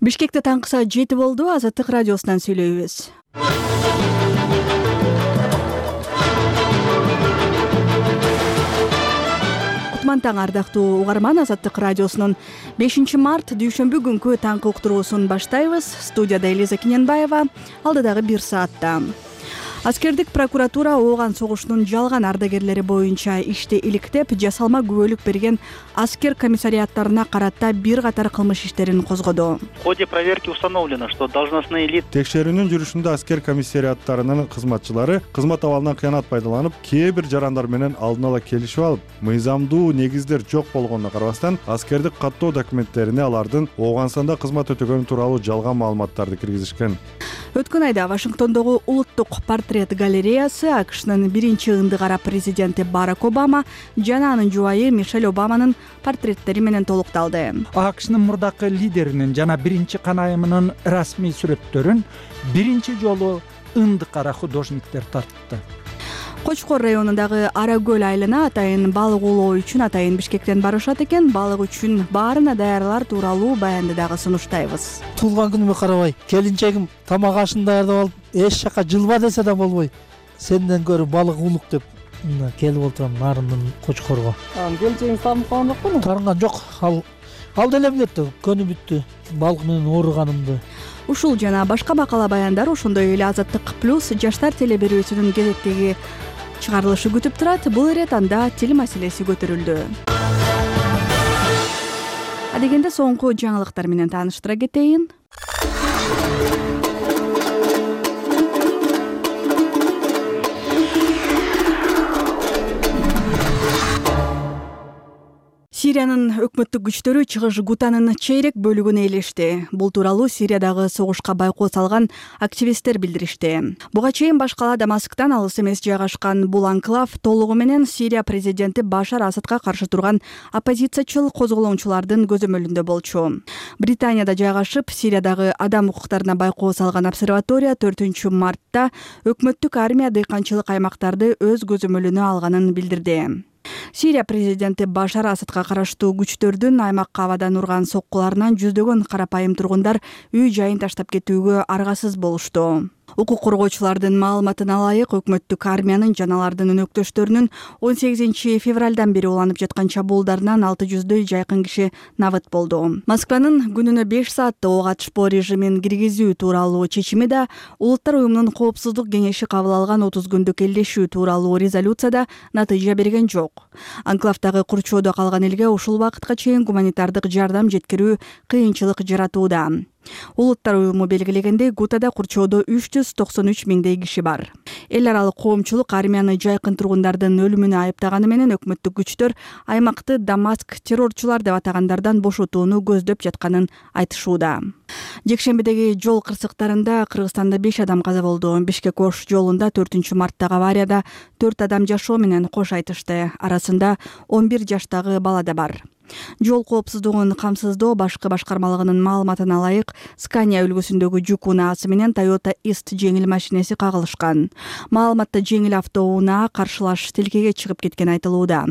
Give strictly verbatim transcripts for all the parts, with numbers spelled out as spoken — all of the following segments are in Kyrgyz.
Бишкекте таңкы саат жети болду. Азаттык радиосунан сүйлөйбүз. Кутман таң ардактуу угарман, Азаттык радиосунун бешинчи март дүйшөмбү күнкү таңкы уктуруусун баштайбыз. Студияда Элиза Кененбаева. Алдыдагы бир саатта аскердик прокуратура ооган согушунун жалган ардагерлери боюнча ишти иликтеп, жасалма күбөлүк берген аскер комиссариаттарына карата бир катар кылмыш иштерин козгоду. В ходе проверки установлено, что должностные лица Текшерүүнүн жүрүшүндө аскер комиссариаттарынын кызматчылары кызмат абалынан кыянат пайдаланып, кээ бир жарандар менен алдын ала келишип алып, мыйзамдуу негиздер жок болгонуна карабастан, аскердик каттоо документтерине алардын ооган санда кызмат өтөгөнү тууралуу жалган маалыматтарды киргизишкен. Өткөн айда Вашингтондогу улуттук портрет галереясы АКШнын биринчи ындыгара президенти Барак Обама жана анын жубайы Мишель Обаманын портреттери менен толукталды. АКШнын мурдакы лидеринин жана биринчи канайымынын расмий сүрөттөрүн биринчи жолу ындыкара художниктер тартты. Кочкор районундагы Ара көл айылына атайын балык улоо үчүн атайын Бишкектен барышат экен. Балык үчүн баарына даярдалар тууралуу баянды дагы сунуштайбыз. Туулган күнүмө карабай, келинчегим тамак ашын даярдап алып, эч жака жылба десе да болбой, сенден көрө балык улук деп мына келип отурам нарындын Кочкорго. Келинчегиңиз таанып калган жокпу? Таарынган жок. Ал ал деле билет да, көнү бүттү балык менен ооруганымды. Ушул жана башка макала баяндар ошондой эле Азаттык плюс жаштар телеберүүсүнүн кезектеги чыгарылышы күтүп турат. Бул ирет анда тил маселеси көтөрүлдү. Адегенде соңку жаңылыктар менен тааныштыра кетейин. Сириянын өкмөттүк күчтөрү чыгыш Гутанын чейрек бөлүгүн ээлешти. Бул тууралуу Сириядагы согушка байкоо салган активисттер билдиришти. Буга чейин баш кала Дамасктан алыс эмес жайгашкан бул анклав толугу менен Сирия президенти Башар Асадка каршы турган оппозициячыл козголоңчулардын көзөмөлүндө болчу. Британияда жайгашып, Сириядагы адам укуктарына байкоо салган обсерватория төртүнчү мартта өкмөттүк армия дыйканчылык аймактарды өз көзөмөлүнө алганын билдирди. Сирия президенти Башар Асадка караштуу күчтөрдүн аймакка абадан урган соккуларынан жүздөгөн карапайым тургундар үй жайын таштап кетүүгө аргасыз болушту. Укук коргоочулардын маалыматына ылайык, өкмөттүк армиянын жана алардын өнөктөштөрүнүн он сегизинчи февралдан бери уланып жаткан чабуулдарынан алты жүздөй жайкын киши набыт болду. Москванын күнүнө беш саатта ок атышпоо режимин киргизүү тууралуу чечими да, Улуттар уюмунун коопсуздук кеңеши кабыл алган отуз күндүк элдешүү тууралуу резолюцияда натыйжа берген жок. Анклавдагы курчоодо калган элге ушул убакытка чейин гуманитардык жардам жеткирүү кыйынчылык жаратууда. Улуттар уюму белгилегендей, Гутада курчоодо үч жүз токсон үч миңдей киши бар. Эл аралык коомчулук армияны жайкын тургундардын өлүмүнө айыптаганы менен өкмөттүк күчтөр аймакты Дамаск террорчулар деп атагандардан бошотууну көздөп жатканын айтышууда. Жекшембидеги жол кырсыктарында Кыргызстанда беш адам каза болду. Бишкек-Ош жолунда төртүнчү марттагы аварияда төрт адам жашоо менен кош айтышты. Арасында он бир жаштагы бала да бар. Жол коопсуздугун камсыздоо башкы башкармалыгынын маалыматына ылайык, Скания үлгүсүндөгү жүк унаасы менен Toyota Ист жеңил машинеси кагылышкан. Маалыматта жеңил автоунаа каршылаш тилкеге чыгып кеткен айтылууда.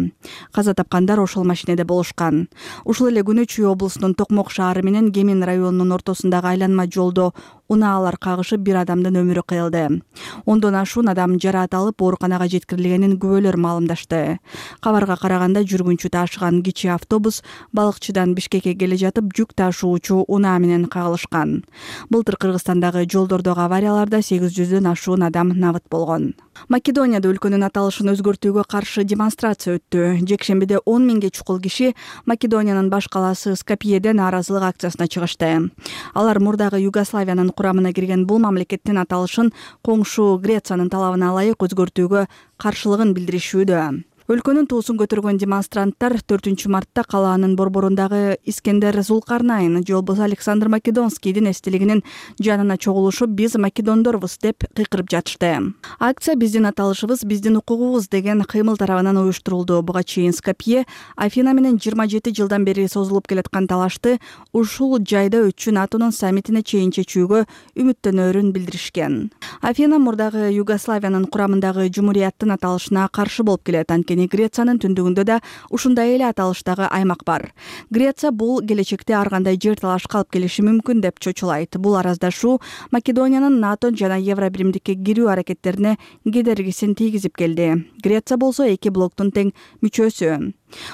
Каза тапкандар ошол машинеде болушкан. Ушул эле күнү Чүй облусунун Токмок шаары менен Кемин районунун ортосундагы айланма жолдо унаалар кагышып бир адамдын өмүрү кыйылды. Ондон ашуун адам жараат алып ооруканага жеткирилгенин күбөлөр маалымдашты. Кабарга караганда жүргүнчү таашыган кичи автобус Балыкчыдан Бишкекке келе жатып жүк ташуучу унаа менен кагылышкан. Былтыр Кыргызстандагы жолдордогу аварияларда сегиз жүздөн ашуун адам набыт болгон. Македонияда өлкөнүн аталышын өзгөртүүгө каршы демонстрация өттү. Жекшембиде он миңге чукул киши Македониянын баш калаасы Скопьеден нааразылык акциясына чыгышты. Алар мурдагы Югославиянын курамына кирген бул мамлекеттин аталышын коңшу Грециянын талабына ылайык өзгөртүүгө каршылыгын билдиришүүдө. Өлкөнүн туусун көтөргөн демонстранттар төртүнчү мартта калаанын борборундагы Искендер Зулкарнайн же болбосо Александр Македонскийдин эстелигинин жанына чогулушуп, биз македондорбуз деп кыйкырып жатышты. Акция биздин аталышыбыз, биздин укугубуз деген кыймыл тарабынан уюштурулду. Буга чейин Скопье Афина менен жыйырма жети жылдан бери созулуп келаткан талашты ушул жайда өтчү НАТОнун саммитине чейин чечүүгө үмүттөнөрүн билдиришкен. Афина мурдагы Югославиянын курамындагы жумурияттын аталышына каршы болуп келет. Анткени анткени Грециянын түндүгүндө да ушундай эле аталыштагы аймак бар. Греция бул келечекте ар кандай жер талашка алып келиши мүмкүн деп чочулайт. Бул араздашуу Македониянын НАТО жана Евробиримдикке кирүү аракеттерине кедергисин тийгизип келди. Греция болсо эки блоктун тең мүчөсү.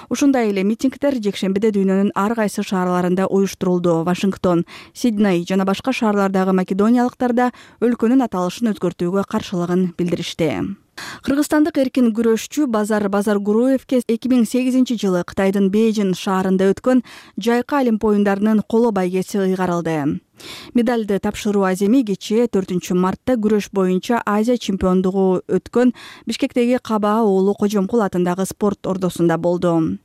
Ушундай эле митингдер жекшембиде дүйнөнүн ар кайсы шаарларында уюштурулду. Вашингтон, Сидней жана башка шаарлардагы македониялыктар да өлкөнүн аталышын өзгөртүүгө каршылыгын билдиришти. Кыргызстандык эркин күрөшчү Базар Базаргуруевке эки миң сегизинчи жылы Кытайдын Бейжин шаарында өткөн жайкы Олимп оюндарынын коло байгеси ыйгарылды. Медалды тапшыруу аземи кечээ төртүнчү мартта күрөш боюнча Азия чемпиондугу өткөн Бишкектеги Кабаа уулу Кожомкул атындагы спорт ордосунда болду.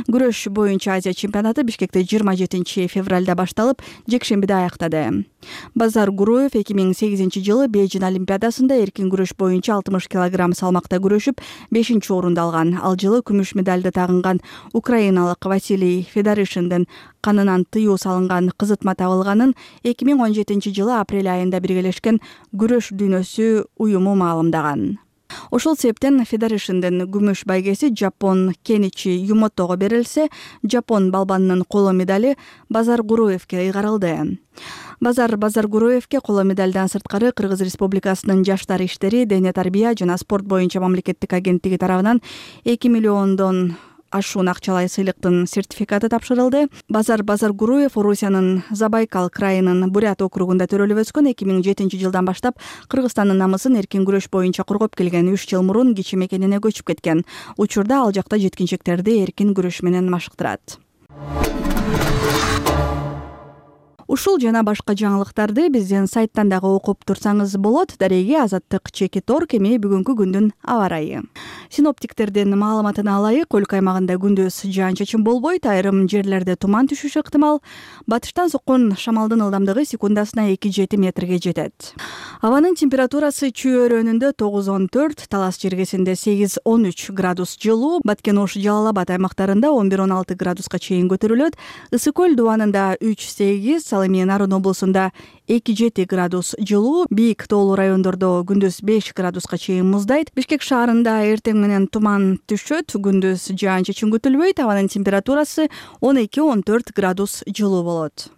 Күрөш боюнча Азия чемпионаты Бишкекте жыйырма жетинчи февралда башталып, жекшембиде аяктады. Базар Гуруев эки миң сегизинчи жылы Бейжин олимпиадасында эркин күрөш боюнча алтымыш килограмм салмакта күрөшүп, бешинчи орунду алган. Ал жылы күмүш медалды тагынган украиналык Василий Федоришиндин канынан тыюу салынган кызытма табылганын эки миң он жетинчи жылы апрель айында биргелешкен күрөш дүйнөсү уюму маалымдаган. Ошол себептен Федоришиндин күмүш байгеси жапон Кеничи Юмотого берилсе, жапон балбанынын коло медали Базар Гуруевке ыйгарылды. Базар Базаргуруевке коло медалдан сырткары Кыргыз Республикасынын жаштар иштери, дене тарбия жана спорт боюнча мамлекеттик агенттиги тарабынан эки миллиондон ашуун акчалай сыйлыктын сертификаты тапшырылды. Базар Базаргуруев Орусиянын Забайкал крайынын Бурят округунда төрөлүп өскөн. эки миң жетинчи жылдан баштап Кыргызстандын намысын эркин күрөш боюнча коргоп келген. үч жыл мурун кичи мекенине көчүп кеткен. Учурда ал жакта жеткинчектерди эркин күрөш менен машыктырат. Ушул жана башка жаңылыктарды биздин сайттан дагы окуп турсаңыз болот. Дареги Азаттык Чекитор кеми бүгүнкү күндүн аба ырайы. Синоптиктердин маалыматына ылайык, өлкө аймагында күндүз жаан-чачын болбойт, айрым жерлерде туман түшүшү ыктымал. Батыштан соккон шамалдын ылдамдыгы секундасына эки жети метрге жетет. Абанын температурасы Чүй өрөөнүндө тогуз он төрт, Талас жергесинде сегиз он үч градус жылуу, Баткен Ош Жалал Абад аймактарында он бир он алты градуска чейин көтөрүлөт. Ысык көл дубанында үч сегиз, Ал эми Нарын облусунда эки жети градус жылуу, бийик тоолуу райондордо күндүз беш градуска чейин муздайт. Бишкек шаарында эртең менен туман түшөт, күндүз жаан-чачын күтүлбөйт. Абанын температурасы он эки он төрт градус жылуу болот.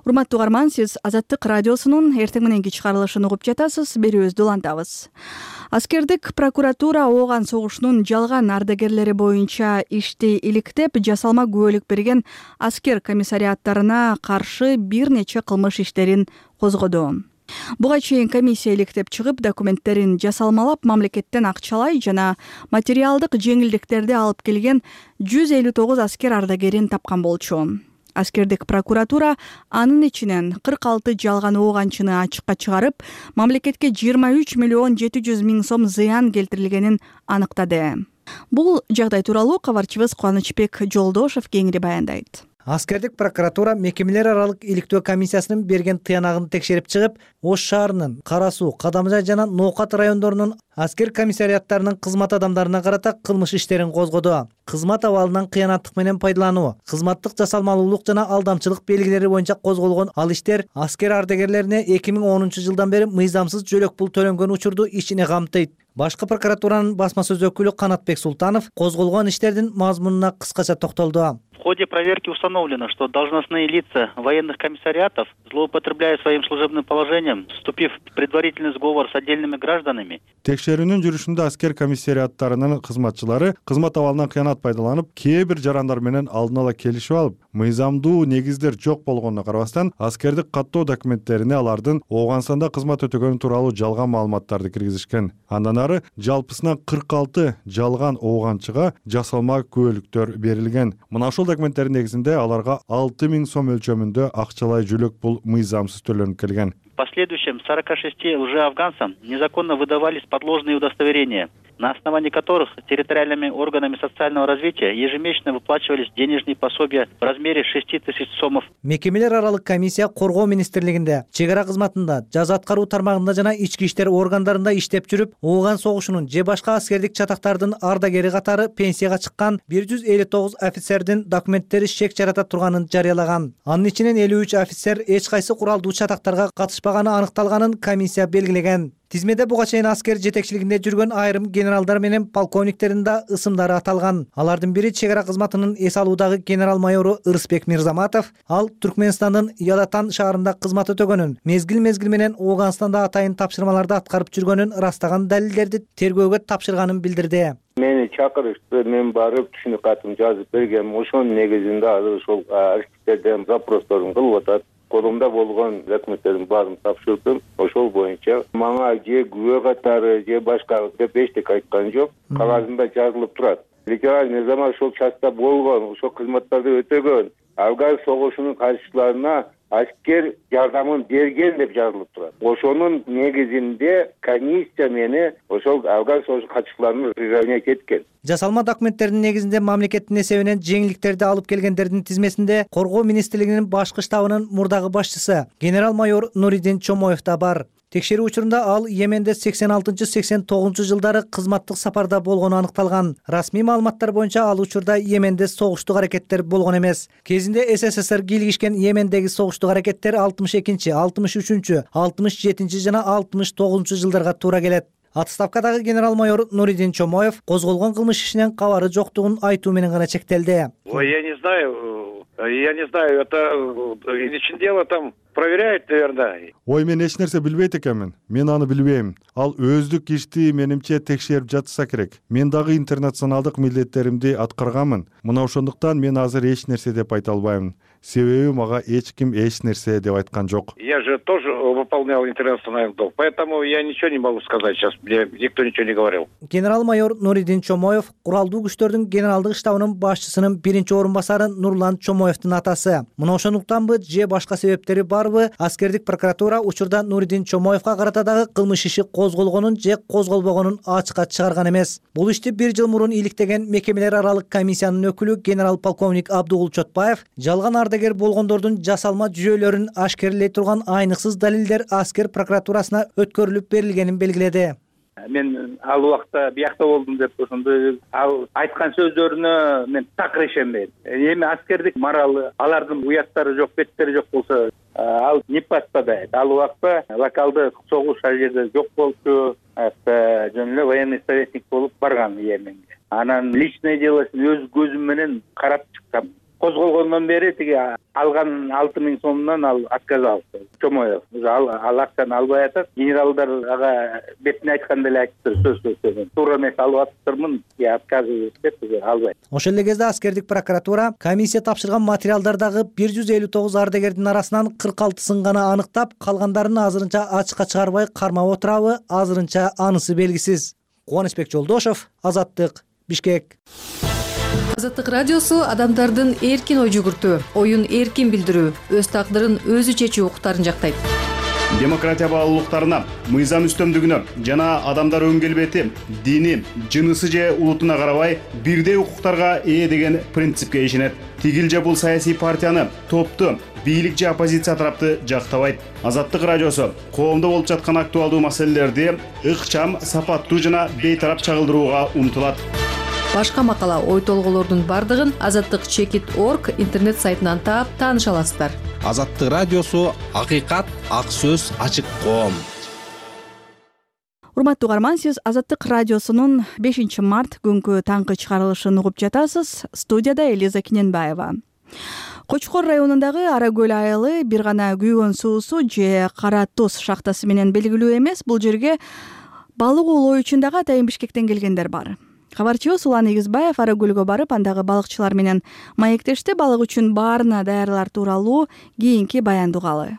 Урматтуу угарман, сиз Азаттык радиосунун эртең мененки чыгарылышын угуп жатасыз. Берүүбүздү улантабыз. Аскердик прокуратура ооган согушунун жалган ардагерлери боюнча ишти иликтеп, жасалма күбөлүк берген аскер комиссариаттарына каршы бир нече кылмыш иштерин козгоду. Буга чейин комиссия иликтеп чыгып, документтерин жасалмалап, мамлекеттен акчалай жана материалдык жеңилдиктерди алып келген жүз элүү тогуз аскер ардагерин тапкан болчу. Аскердик прокуратура анын ичинен кырк алты жалган ооганчыны ачыкка чыгарып, мамлекетке жыйырма үч миллион жети жүз миң сом зыян келтирилгенин аныктады. Бул жагдай тууралуу кабарчыбыз Кубанычбек Жолдошев кеңири баяндайт. Аскердик прокуратура мекемелер аралык иликтөө комиссиясынын берген тыянагын текшерип чыгып, Ош шаарынын Кара Суу, Кадамжай жана Ноокат райондорунун аскер комиссариаттарынын кызмат адамдарына карата кылмыш иштерин козгоду. Кызмат абалынан кыянаттык менен пайдалануу, кызматтык жасалмалуулук жана алдамчылык белгилери боюнча козголгон ал иштер аскер ардагерлерине эки миң онунчу жылдан бери мыйзамсыз жөлөк пул төлөнгөн учурду ичине камтыйт. Башкы прокуратуранын басма сөз өкүлү Канатбек Султанов козголгон иштердин мазмунуна кыскача токтолду. В ходе проверки установлено, что должностные лица военных комиссариатов, злоупотребляя своим служебным положением, вступив в предварительный сговор с отдельными гражданами. Текшерүүнүн жүрүшүндө аскер комиссариаттарынын кызматчылары кызмат абалынан кыянат пайдаланып, кээ бир жарандар менен алдын ала келишип алып, мыйзамдуу негиздер жок болгонуна карабастан, аскердик каттоо документтерине алардын Ооганстанда кызмат өтөгөнү тууралуу жалган маалыматтарды киргизишкен. Андан ары жалпысынан кырк алты жалган ооганчыга жасалма күбөлүктөр берилген. Мына ошол документтердин негизинде аларга алты миң сом өлчөмүндө акчалай жөлөк пул мыйзамсыз төлөнүп келген. В последующем сорока шести лжеафганцам незаконно выдавались подложные удостоверения, на основании которых территориальными органами социального развития ежемесячно выплачивались денежные пособия в размере шести тысяч сомов. Мекемелер аралык комиссия коргоо министрлигинде, чек ара кызматында, жаза аткаруу тармагында жана ички иштер органдарында иштеп жүрүп, Ооган согушунун же башка аскердик чатактардын ардагери катары пенсияга чыккан бир жүз элүү тогуз офицердин документтери шек жарата турганын жарыялаган. Анын ичинен элүү үч офицер эч кайсы куралдуу чатактарга катышпаганы аныкталганын комиссия белгилеген. Тизмеде буга чейин аскер жетекчилигинде жүргөн айрым генералдар менен полковниктердин да ысымдары аталган. Алардын бири чек ара кызматынын эс алуудагы генерал-майору Ырысбек Мирзаматов, ал Түркмөнстандын Ялатан шаарында кызмат өтөгөнүн, мезгил-мезгил менен Ооганстанда атайын тапшырмаларды аткарып жүргөнүн ырастаган далилдерди тергөөгө тапшырганын билдирди. Мени чакырышты, мен барып түшүнүк катым жазып бергем. Ошонун негизинде азыр ошол архивтерден запросторун кылып атат. Колумда болгон документтердин баарын тапшырдым. Ошол боюнча мага же күбө катары же башка деп эчтеке айткан жок. Кагазында жазылып турат. Лейтенант Мирзаматов ошол частта болгон, ошол кызматтарды өтөгөн. Афган согушунун катышчыларына аскер жардамын берген деп жазылып турат. Ошонун негизинде комиссия мени ошол Афган согуш катышчыларынын районуна кеткен. Жасалма документтердин негизинде мамлекеттин эсебинен жеңилдиктерди алып келгендердин тизмесинде Коргоо министрлигинин башкы штабынын мурдагы башчысы генерал-майор Нуридин Чомоев да бар. Текшерүү учурунда ал Йеменде сексен алтынчы сексен тогузунчу жылдары кызматтык сапарда болгону аныкталган. Расмий маалыматтар боюнча ал учурда Йеменде согуштук аракеттер болгон эмес. Кезинде СССР кийлигишкен Йемендеги согуштук аракеттер алтымыш экинчи, алтымыш үчүнчү, алтымыш жетинчи жана алтымыш тогузунчу жылдарга туура келет. Отставкадагы генерал-майор Нуридин Чомоев козголгон кылмыш ишинен кабары жоктугун айтуу менен гана чектелди. Ой, я не знаю, я не знаю, это ичин дело там проверяют, наверное. Ой, мен эч нерсе билбейт экенмин. Мен аны билбейм. Ал өздүк ишти менимче текшерип жатса керек. Мен дагы интернационалдык милдеттеримди аткарганмын. Мына ошондуктан мен азыр эч нерсе деп айта албайм. Себеби мага эч ким эч нерсе деп айткан жок. Я же тоже выполнял интернациональный долг, поэтому я ничего не могу сказать сейчас. Мне никто ничего не говорил. Генерал-майор Нуридин Чомоев куралдуу күчтөрдүн генералдык штабынын башчысынын биринчи орун басары Нурлан Чомоевдин атасы. Мына ошондуктанбы же башка себептери барбы, аскердик прокуратура учурда Нуридин Чомоевга карата дагы кылмыш иши козголгонун же козголбогонун ачыкка чыгарган эмес. Бул ишти бир жыл мурун иликтеген мекемелер аралык комиссиянын өкүлү генерал-полковник Абдугул Чотбаев жалган ардагер болгондордун жасалма жүйөлөрүн ашкерлей турган айныксыз далилдер аскер прокуратурасына өткөрүлүп берилгенин белгиледи. Мен ал убакта биякта болдум деп ошондой ал айткан сөздөрүнө мен такыр ишенбейм. Эми аскердик моралы, алардын уяттары жок, беттери жок болсо ал не паспадайт. Ал убакта локалдык согуш ал жерде жок болчу, жөн эле военный советник болуп барган Йеменге. Анан личное делосун өз көзүм менен карап чыккам. Козголгондон бери тиги алган алты миң сомдон ал отказ алды. Чомоев ал ал акчаны албай атат. Генералдар ага бетине айтканда эле айтыптыр, сөз сөздөр. Туура эмес алып атыптырмын, я отказ деп албайт. Ошол эле кезде аскердик прокуратура комиссия тапшырган материалдардагы бир жүз элүү тогуз ардагердин арасынан кырк алтысын гана аныктап, калгандарын азырынча ачыкка чыгарбай кармап отурабы, азырынча анысы белгисиз. Кубанычбек Жолдошов, Азаттык, Бишкек. Азаттык радиосу адамдардын эркин ой жүгүртүү, оюн эркин билдирүү, өз тагдырын өзү чечүү укуктарын жактайт. Демократия баалуулуктарына, мыйзам үстөмдүгүнө жана адамдар өң келбети, дини, жынысы же улутуна карабай бирдей укуктарга ээ деген принципке ишенет. Тигил же бул саясий партияны, топту, бийлик же оппозиция тарапты жактабайт. Азаттык радиосу коомдо болуп жаткан актуалдуу маселелерди ыкчам, сапаттуу жана бейтарап чагылдырууга умтулат. Башка макала, ой толголордун бардыгын азаттык чекит точка орг интернет сайтынан таап тааныша аласыздар. Азаттык радиосу акыйкат, ак сөз, ачык коом. Урматтуу угарман, сиз Азаттык радиосунун бешинчи март күнкү таңкы чыгарылышын угуп жатасыз. Студияда Элиза Киненбаева. Кочкор районундагы Аракөл айылы бир гана күйгөн суусу же кара туз шахтасы менен белгилүү эмес. Бул жерге балык оолоо үчүн дагы атайын Бишкектен келгендер бар. Кабарчыбыз Улан Эгизбаев Аракөлгө барып, андагы балыкчылар менен маектешти. Балык үчүн баарына даярдыклар тууралуу кийинки баянды угалы.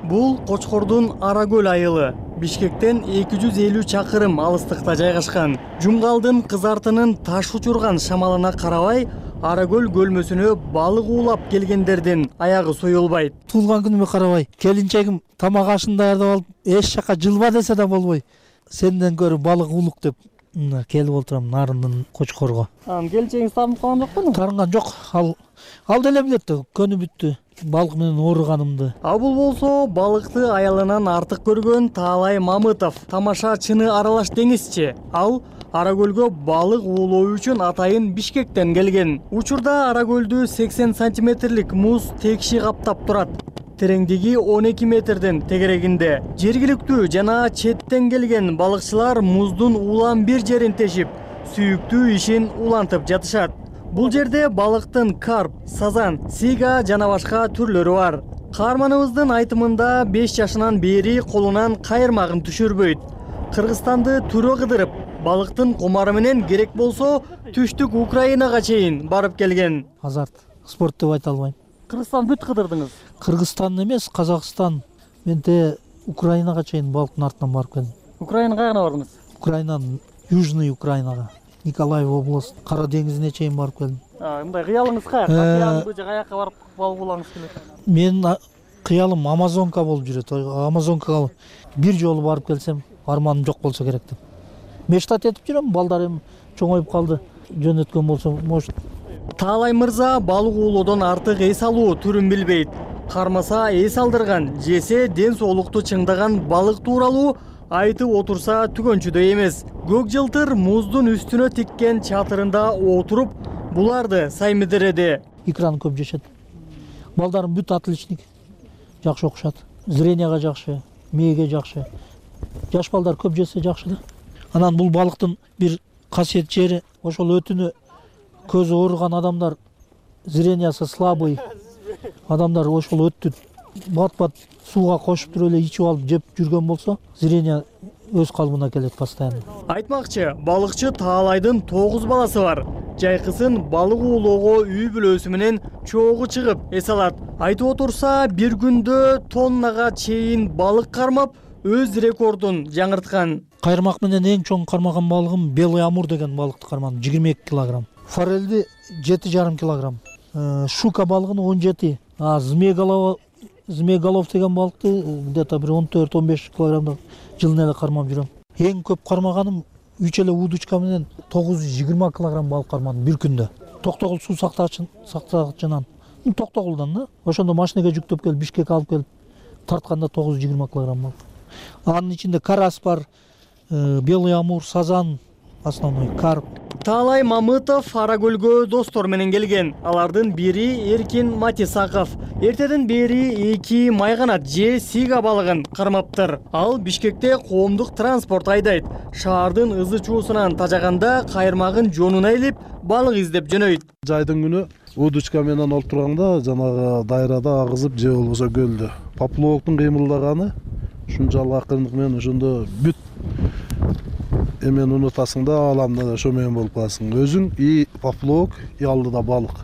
Бул Кочкордун Аракөл айылы. Бишкектен эки жүз элүү чакырым алыстыкта жайгашкан. Жумгалдын кызартынын таш учурган шамалына карабай, Ара көл көлмөсүнө балык уулап келгендердин аягы союлбайт. Туулган күнүмө карабай, келинчегим тамак ашын даярдап алып, эч жака жылба десе да болбой. Сенден көрү балык уулук деп келип отурам Нарындын Кочкорго. Анан келинчегиңиз таарынып калган жокпу? Таарынган жок. Ал ал деле билет да, көнү бүттү. Балык менен ооруганымды. А бул болсо балыкты аялынан артык көргөн Таалай Мамытов. Тамашачыны аралаш деңизчи. Ал Ара көлгө балык уулоо үчүн атайын Бишкектен келген. Учурда Ара көлдү сексен сантиметрлик муз текши каптап турат. Тереңдиги он эки метрдин тегерегинде. Жергиликтүү жана четтен келген балыкчылар муздун улам бир жерин тешип, сүйүктүү ишин улантып жатышат. Бул жерде балыктын карп, сазан, сига жана башка түрлөрү бар. Каарманыбыздын айтымында беш жашынан бери колунан кайырмагын түшүрбөйт. Кыргызстанды түрө кыдырып, балыктын комары менен керек болсо түштүк Украинага чейин барып келген. Азарт, спорт деп айта албайм. Кыргызстан бүт кыдырдыңыз? Кыргызстан эмес, Казакстан, менде Украинага чейин балыктын артынан барып келдим. Украина кайгына бардыңыз? Украинанын Южный Украинага, Николаев область, Кара деңизине чейин барып келдим. Мындай кыялыңыз каяка? Океандын бул жака барып балык уулагыңыз келет? Менин кыялым Амазонка болуп жүрөт. Амазонкага бир жолу барып келсем, арманым жок болсо керек деп. Мечтат этип жүрөм, балдарым чоңоюп калды. Жөнөткөн болсо, может. Таалай мырза балык уулоодон артык эс алуу түрүн билбейт. Кармаса эс алдырган, жесе ден соолукту чыңдаган балык тууралуу айтып отурса түгөнчүдөй эмес. Көк жылтыр муздун үстүнө тиккен чатырында отуруп, буларды саймидиреди. Икраны көп жешет. Балдарым бүт отличник. Жакшы окушат. Зренияга жакшы, мээге жакшы. Жаш балдар көп жесе жакшы да. Анан бул балыктын бир касиет жери, ошол өтүнө көзү ооруган адамдар, зрениясы слабый адамдар ошол өттү бат-бат сууга кошуп туруп эле ичип алып жеп жүргөн болсо, зрения өз калыбына келет постоянно. Айтмакчы, балыкчы Таалайдын тогуз баласы бар. Жайкысын балык уулоого үй бүлөсү менен чогуу чыгып эс алат. Айтып отурса, бир күндө тоннага чейин балык кармап, өз рекордун жаңырткан. Кайырмак менен эң чоң кармаган балыгым Белый Амур деген балыкты кармадым, жыйырма эки килограмм. Форельди жети жарым килограмм. Шука балыгын он жети. А змееголов, змееголов деген балыкты где-то бир он төрт он беш килограммда жылына эле кармап жүрөм. Эң көп кармаганым үч эле удочка менен тогуз жүз жыйырма килограмм балык кармадым бир күндө. Токтогул суу сактагычын сактагычынан, Токтогулдан да. Ошондо машинага жүктөп келип Бишкекке алып келип тартканда тогуз жүз жыйырма килограмм балык. Анын ичинде карась бар, Белый Амур, сазан, основной карп. Таалай Мамытов Ара көлгө достор менен келген. Алардын бири Эркин Матисаков. Эртеден бери эки майганат же сига балыгын кармаптыр. Ал Бишкекте коомдук транспорт айдайт. Шаардын ызы чуусунан тажаганда кайырмагын жонуна илип, балык издеп жөнөйт. Жайдын күнү удочка менен олтурганда жанагы дайрада агызып же болбосо көлдө. Поплавоктун кыймылдаганы ушунчалык акырындык менен ошондо бүт эмен унутасың да, аламда да ошо менен болуп каласың. Өзүң и поплавок, и алдыда балык.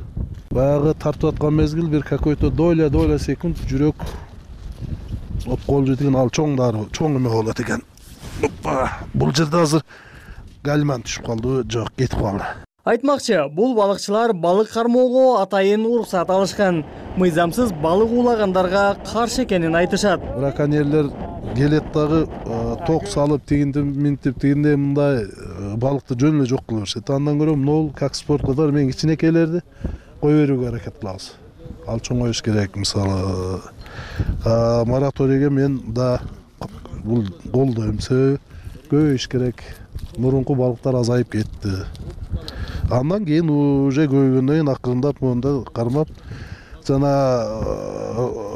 Баягы тартып аткан мезгил бир какой-то доля доля секунд жүрөк оп колжу деген ал чоңдары, чоң эме болот экен. Опа, бул жерде азыр гальман түшүп калды, жок, кетип калды. Айтмакчы, бул балыкчылар балык кармоого атайын уруксат алышкан. Мыйзамсыз балык уулагандарга каршы экенин айтышат. Браконьерлер келет дагы ток салып тигинтип минтип тигинде мындай балыкты жөн эле жок кыла беришет. Андан көрө могул как спорткадар мен кичинекейлерди кое берүүгө аракет кылабыз. Ал чоңоюш керек. Мисалы мораторийге мен да бул колдойм. Себеби көбөйүш керек. Мурунку балыктар азайып кетти. Андан кийин уже көбөйгөндөн кийин акырындап монда кармап жана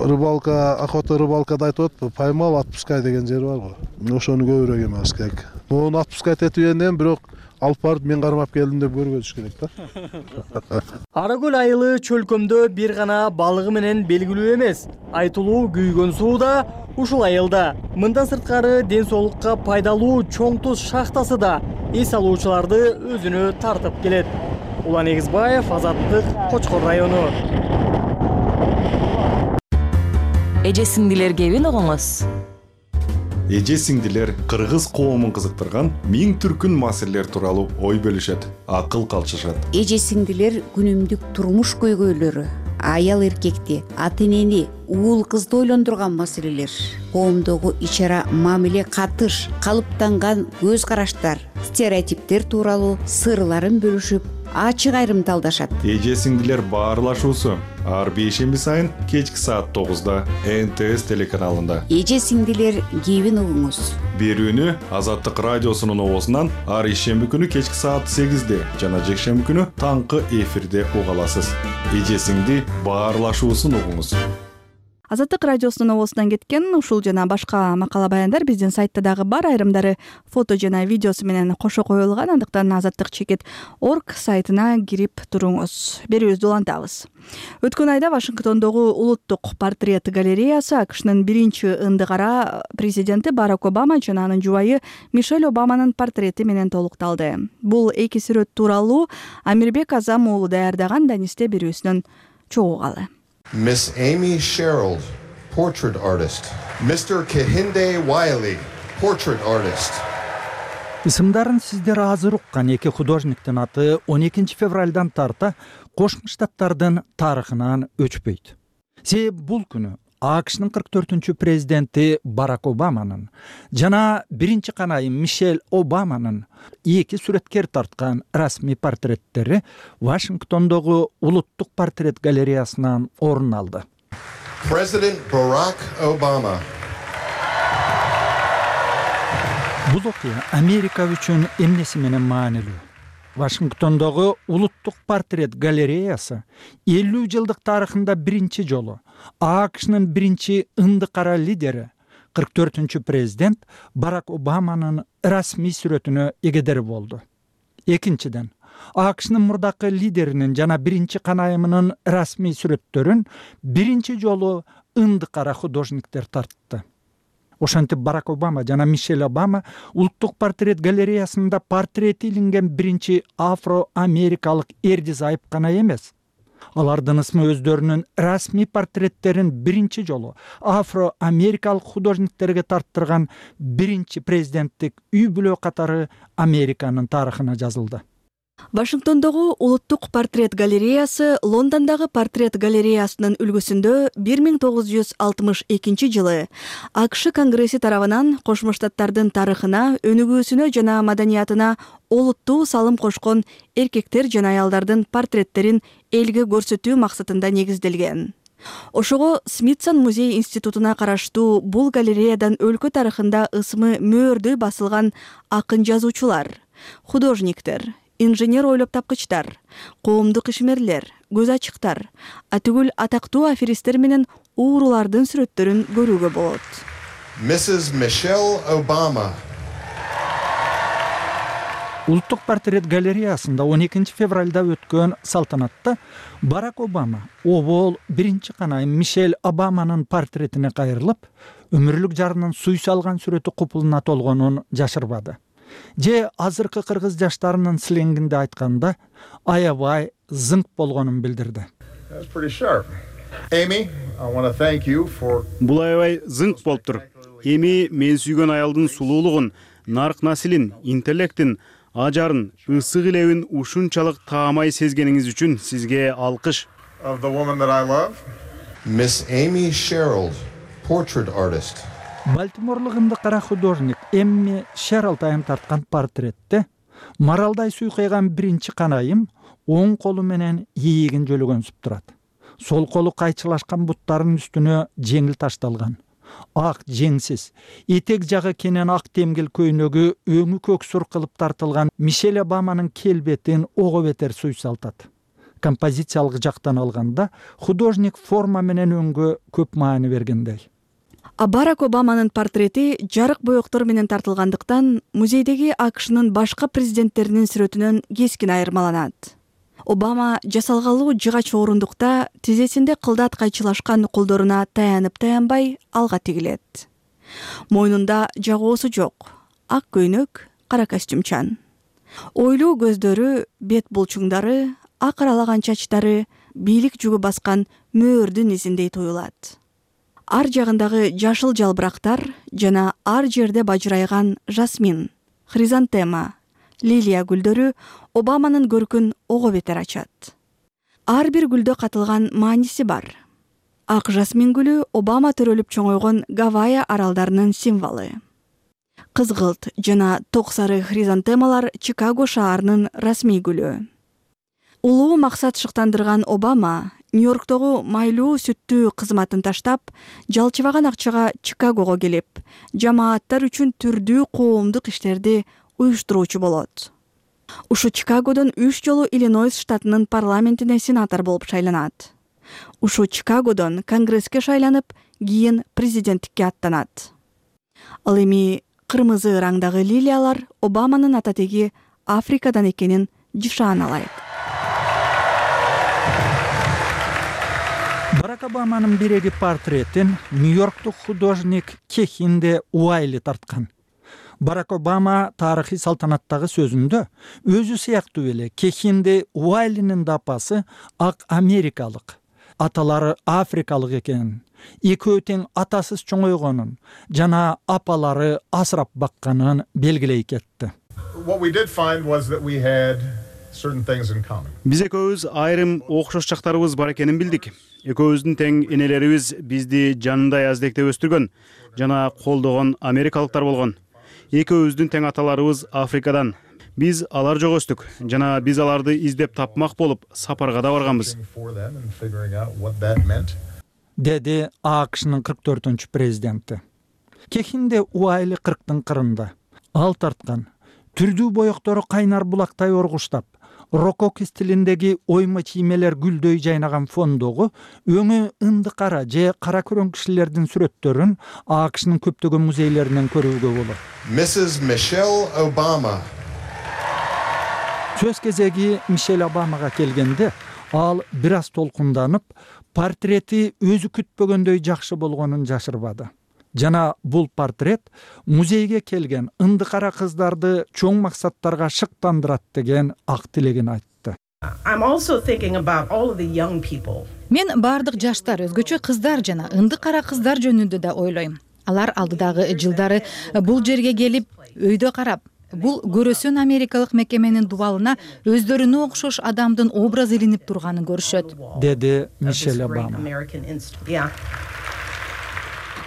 рыбалка, охота рыбалкада айтып атпы, поймал, отпускай деген жер бар го. Ошону көбүрөөк эмес керек. Мону отпускать этип энден бирок алып барып мен кармап келдим деп көргөзүш керек да. Ара көл айылы чөлкөмдө бир гана балыгы менен белгилүү эмес. Айтылуу күйгөн суу да ушул айылда. Мындан сырткары ден соолукка пайдалуу чоң туз шахтасы да эс алуучуларды өзүнө тартып келет. Улан Эгизбаев, Азаттык, Кочкор району. Эжесиңдилер кебин огоңуз. эже сиңдилер кыргыз коомун кызыктырган миң түркүн маселелер тууралуу ой бөлүшөт, акыл калчышат. Эже сиңдилер күнүмдүк турмуш көйгөйлөрү, аял эркекти, ата энени, уул кызды ойлондурган маселелер, коомдогу ич ара мамиле, катыш, калыптанган көз караштар, стереотиптер тууралуу сырларын бөлүшүп, ачык айрымталдашат. Эже сиңдилер баарлашуусу ар бейшемби сайын кечки саат тогузда эн тэ эс телеканалында. Эже сиңдилер кебин угуңуз. Берүүнү Азаттык радиосунун обосунан ар ишемби күнү кечки саат сегизде жана жекшемби күнү таңкы эфирде уга аласыз. Эже сиңди баарлашуусун угуңуз. Азаттык радиосунун обосунан кеткен ушул жана башка макала баяндар биздин сайтта дагы бар, айрымдары фото жана видеосу менен кошо коюлган. Андыктан азаттык чекит орг сайтына кирип туруңуз. Берүүбүздү улантабыз. Өткөн айда Вашингтондогу улуттук портрет галереясы АКШнын биринчи ындык ара президенти Барак Обама жана анын жубайы Мишель Обаманын портрети менен толукталды. Бул эки сүрөт тууралуу Амирбек Азам уулу даярдаган Данисте берүүсүнөн чогулгалы. Miss Amy Sherald, portrait artist. Mister Kehinde Wiley, portrait artist. Исымдарын сиздер азыр уккан эки художниктин аты он экинчи февралдан тарта Кошмо Штаттардын тарыхынан өчпөйт. Себеби бул күнү АКШнын кырк төртүнчү президенти Барак Обаманын жана биринчи канайым Мишель Обаманын эки сүрөткер тарткан расмий портреттери Вашингтондогу улуттук портрет галереясынан орун алды. President Barack Obama. Бул окуя Америка үчүн эмнеси менен маанилүү? Вашингтондогу улуттук портрет галереясы элүү жылдык тарыхында биринчи жолу АКШнын биринчи ындык ара лидери, кырк төртүнчү президент Барак Обаманын расмий сүрөтүнө эгедери болду. Экинчиден, АКШнын мурдакы лидеринин жана биринчи канайымынын расмий сүрөттөрүн биринчи жолу ындык ара художниктер тартты. Ошентип Барак Обама жана Мишель Обама улуттук портрет галереясында портрети илинген биринчи афро-америкалык эрди зайып гана эмес. Алардын ысмы өздөрүнүн расмий портреттерин биринчи жолу афро-америкалык художниктерге тарттырган биринчи президенттик үй бүлө катары Американын тарыхына жазылды. Вашингтондогу улуттук портрет галереясы Лондондогу портрет галереясынын үлгүсүндө бир миң тогуз жүз алтымыш экинчи жылы АКШ Конгресси тарабынан Кошмо Штаттардын тарыхына, өнүгүүсүнө жана маданиятына олуттуу салым кошкон эркектер жана аялдардын портреттерин элге көрсөтүү максатында негизделген. Ошого Смитсон музей институтуна караштуу бул галереядан өлкө тарыхында ысмы мөөрдөй басылган акын жазуучулар, художниктер, инженер ойлоп тапкычтар, коомдук ишмерлер, көз ачыктар, атүгүл атактуу аферистер менен уурулардын сүрөттөрүн көрүүгө болот. Missus Michelle Obama. Улуттук портрет галереясында он экинчи февралда өткөн салтанатта Барак Обама обол биринчи канайым Мишель Обаманын портретине кайрылып, өмүрлүк жарынын суй салган сүрөтү купулуна толгонун жашырбады. Же азыркы кыргыз жаштарынын сленгинде айтканда аябай зыңк болгонун билдирди. Бул аябай зыңк болуптур. Эми мен сүйгөн аялдын сулуулугун, нарк насилин, интеллектин, ажарын, ысык илебин ушунчалык таамай сезгениңиз үчүн сизге алкыш. Miss Amy Sherald, portrait artist. Балтиморлук ындык кара художник Эмми Шералд айым тарткан портретте маралдай суйкайган биринчи канайым оң колу менен ийигин жөлөгөнсүп турат. Сол колу кайчылашкан буттарынын үстүнө жеңил ташталган. Ак жеңсиз, этек жагы кенен ак темгил көйнөгү өңү көксүр кылып тартылган Мишель Обаманын келбетин ого бетер суйсалтат. Композициялык жактан алганда художник форма менен өңгө көп маани бергендей. А Барак Обаманын портрети жарык боектор менен тартылгандыктан музейдеги АКШнын башка президенттеринин сүрөтүнөн кескин айырмаланат. Обама жасалгалуу жыгач орундукта тизесинде кылдат кайчылашкан колдоруна таянып таянбай алга тигилет. Мойнунда жагоосу жок, ак көйнөк, кара костюмчан. Ойлуу көздөрү, бет булчуңдары, ак аралаган чачтары бийлик жүгү баскан мөөрдүн изиндей туюлат. ар жагындагы жашыл жалбырактар жана ар жерде бажырайган жасмин, хризантема, лилия гүлдөрү Обаманын көркүн ого бетер ачат. Ар бир гүлдө катылган мааниси бар. Ак жасмин гүлү Обама төрөлүп чоңойгон Гавайи аралдарынын символу. Кызгылт жана ток сары хризантемалар Чикаго шаарынын расмий гүлү. Улуу максат шыктандырган Обама Нью-Йорктогу майлуу сүттүү кызматын таштап, жалчыбаган акчага Чикагого келип, жамааттар үчүн түрдүү коомдук иштерди уюштуруучу болот. Ушу Чикагодон үч жолу Иллинойс штатынын парламентине сенатор болуп шайланат. Ушу Чикагодон Конгресске шайланып, кийин президенттикке аттанат. Ал эми кырмызы раңдагы лилиялар Обаманын ататеги Африкадан экенин жышаналайт. Барак Обаманын биреги портретин Нью-Йорктук художник Кехинде Уайли тарткан. Барак Обама тарыхый салтанаттагы сөзүндө өзү сыяктуу эле Кехинде Уайлинин да апасы ак америкалык, аталары африкалык экенин, экөө тең атасыз чоңойгонун жана апалары асырап бакканын белгилей кетти. Биз экөөбүз айрым окшош жактарыбыз бар экенин билдик. Экөөбүздүн тең энелерибиз бизди жанындай аздекте өстүргөн жана колдогон америкалыктар болгон. Экөөбүздүн тең аталарыбыз Африкадан. Биз алар жок өстүк жана биз аларды издеп тапмак болуп сапарга да барганбыз. Деди АКШнын кырк төртүнчү президенти. Кехинде Уайли кырктын кырында. Ал тарткан түрдүү боектору кайнар булактай оргуштап, рококо стилиндеги ойма чиймелер гүлдөй жайнаган фондогу өңү ынды кара же кара көрөн кишилердин сүрөттөрүн АКШнын көптөгөн музейлеринен көрүүгө болот. Миссис Мишель Обама. Сөз кезеги Мишель Обамага келгенде, ал бир аз толкунданып, портрети өзү күтпөгөндөй жакшы болгонун жашырбады. Жана бул портрет музейге келген ынды кара кыздарды чоң максаттарга шыктандырат деген ак тилегин айтты. Мен бардык жаштар, өзгөчө кыздар жана ынды кара кыздар жөнүндө да ойлойм. Алар алдыдагы жылдары бул жерге келип, өйдө карап, бул көрөсөн америкалык мекеменин дубалына өздөрүнө окшош адамдын образы илинип турганын көрүшөт, деди Мишель Обама.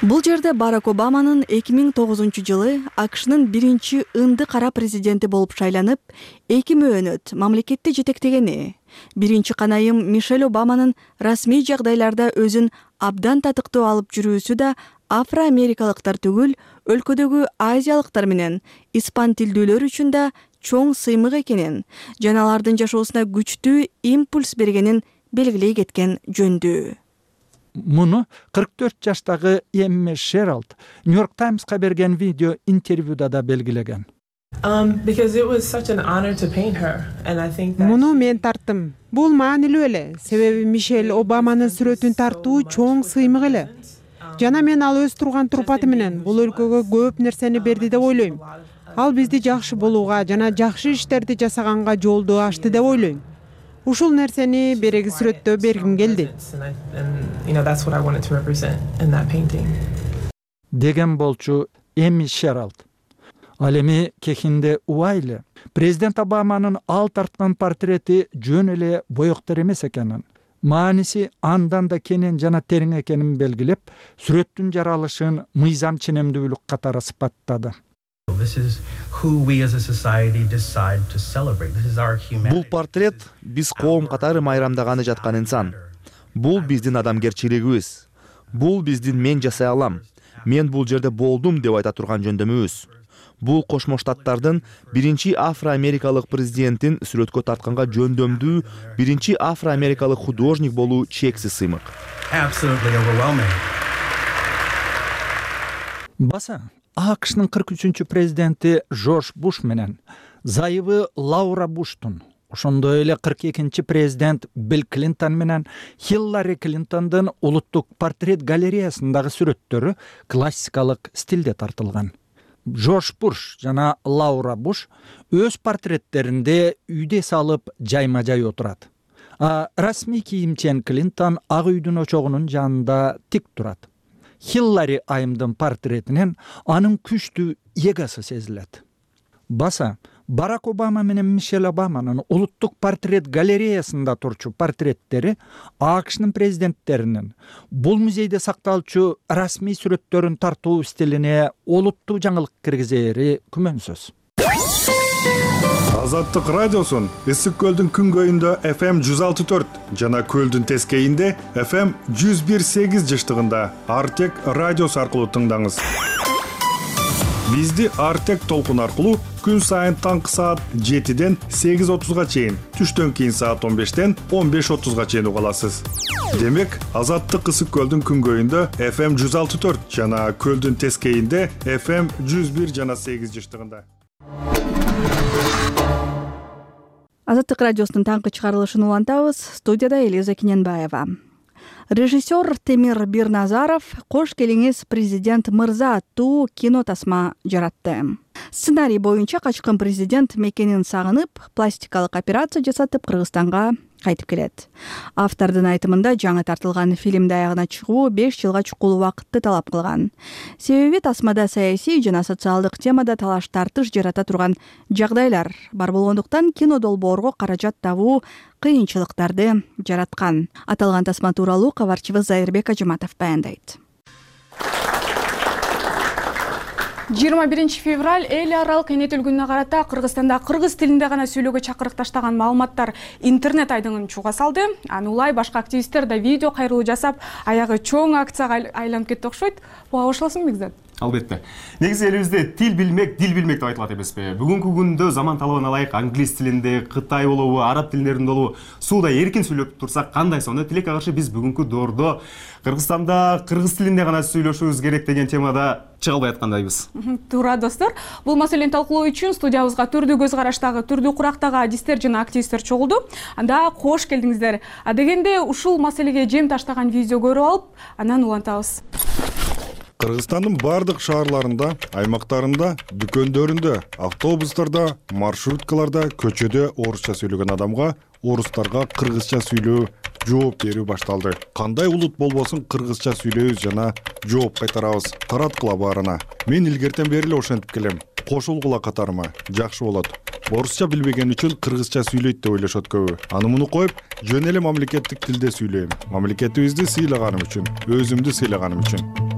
Бул жерде Барак Обаманын эки миң тогузунчу жылы АКШнын биринчи ынды кара президенти болуп шайланып, эки мөөнөт мамлекетти жетектегени, биринчи канайым Мишель Обаманын расмий жагдайларда өзүн абдан татыктуу алып жүрүүсү да афро-америкалыктар түгүл, өлкөдөгү азиялыктар менен испан тилдүүлөр үчүн да чоң сыймык экенин, жана алардын жашоосуна күчтүү импульс бергенин белгилей кеткен жөндүү. Муну кырк төрт жаштагы Эмме Шералд Нью-Йорк Таймска берген видео интервьюда да белгилеген. Муну мен тарттым. Бул маанилүү эле, себеби Мишель Обаманын сүрөтүн тартуу чоң сыймык эле. Жана мен ал өз турган турпаты менен бул өлкөгө көп нерсени берди деп ойлойм. Ал бизди жакшы болууга жана жакшы иштерди жасаганга жолду ачты деп ойлойм. Ушул нерсени береги сүрөттө бергим келди. Деген болчу Эми Шералд. Ал эми Кехинде Уайли президент Обаманын ал тарткан портрети жөн эле боектор эмес экенин, мааниси андан да кенен жана терең экенин белгилеп, сүрөттүн жаралышын мыйзам ченемдүүлүк катары сыпаттады. Бул портрет биз коом катары майрамдаганы жаткан инсан. Бул биздин адамгерчилигибиз. Бул биздин мен жасай алам, мен бул жерде болдум деп айта турган жөндөмүбүз. Бул Кошмо Штаттардын биринчи афро-америкалык президентин сүрөткө тартканга жөндөмдүү биринчи афро-америкалык художник болуу чексиз сыймык. Баса АКШнын кырк үчүнчү президенти Жорж Буш менен зайыбы Лаура Буштун, ошондой эле кырк экинчи президент Билл Клинтон менен Хиллари Клинтондун улуттук портрет галереясындагы сүрөттөрү классикалык стилде тартылган. Жорж Буш жана Лаура Буш өз портреттеринде үйдө салып жайма-жай отурат. А расмий кийимчен Клинтон ак үйдүн очогунун жанында тик турат. Хиллари айымдын портретинен анын күчтүү эгосы сезилет. Баса Барак Обама менен Мишель Обаманын улуттук портрет галереясында турчу портреттери АКШнын президенттеринин бул музейде сакталчу расмий сүрөттөрүн тартуу стилине олуттуу жаңылык киргизери күмөнсүз. Азаттык радиосун Ысык көлдүн күнгөйүндө эф эм жүз алты төрт жана көлдүн тескейинде эф эм жүз бир сегиз жыштыгында Артек радиосу аркылуу тыңдаңыз. Бизди Артек толкун аркылуу күн сайын таңкы саат жетиден сегиз отузга чейин, түштөн кийин саат он бештен он беш отузга чейин уга аласыз. Демек, Азаттык Ысык көлдүн күнгөйүндө эф эм жүз алты төрт жана көлдүн тескейинде эф эм жүз бир жана сегиз жыштыгында. Азаттык радиосунун таңкы чыгарылышын улантабыз. Студияда Элиза Кененбаева. Режиссер Темир Бирназаров «Кош келиңиз, президент мырза» аттуу кино тасма жаратты. Сценарий боюнча качкын президент мекенин сагынып, пластикалык операция жасатып Кыргызстанга кайтып келет. Автордун айтымында жаңы тартылган фильмди аягына чыгуу беш жылга чукул убакытты талап кылган. Себеби тасмада саясий жана социалдык темада талаш тартыш жарата турган жагдайлар бар болгондуктан кино долбоорго каражат табуу кыйынчылыктарды жараткан. Аталган тасма тууралуу кабарчыбыз Зайырбек Ажыматов баяндайт. жыйырма биринчи февраль эл аралык эне тил күнүнө карата Кыргызстанда кыргыз тилинде гана сүйлөөгө чакырык таштаган маалыматтар интернет айдыңын чууга салды. Аны улай башка активисттер да видео кайрылуу жасап, аягы чоң акцияга айланып кетти окшойт. Буга кошуласыңбы Бекзат? Албетте. Негизи элибизде тил билмек, дил билмек деп айтылат эмеспи? Бүгүнкү күндө заман талабына ылайык англис тилинде, кытай болобу, араб тилдеринде болобу сууда эркин сүйлөп турсак кандай сонун? Тилекке каршы биз бүгүнкү доордо Кыргызстанда кыргыз тилинде гана сүйлөшүүбүз керек деген темада чыга албай аткандайбыз. Туура достор, бул маселени талкуулоо үчүн студиябызга түрдүү көз караштагы, түрдүү курактагы адистер жана активисттер чогулду. Анда кош келдиңиздер. А дегенде ушул маселеге жем таштаган видео көрүп алып, анан улантабыз. Кыргызстандын бардык шаарларында, аймактарында, дүкөндөрүндө, автобустарда, маршруткаларда, көчөдө орусча сүйлөгөн адамга орустарга кыргызча сүйлөө жооп берүү башталды. Кандай улут болбосун кыргызча сүйлөйбүз жана жооп кайтарабыз. Тараткыла баарына. Мен илгертен бери эле ошентип келем. Кошулгула катарыма. Жакшы болот. Орусча билбеген үчүн кыргызча сүйлөйт деп ойлошот көбү. Аны муну коюп, жөн эле мамлекеттик тилде сүйлөйм. Мамлекетибизди сыйлаганым үчүн, өзүмдү сыйлаганым үчүн.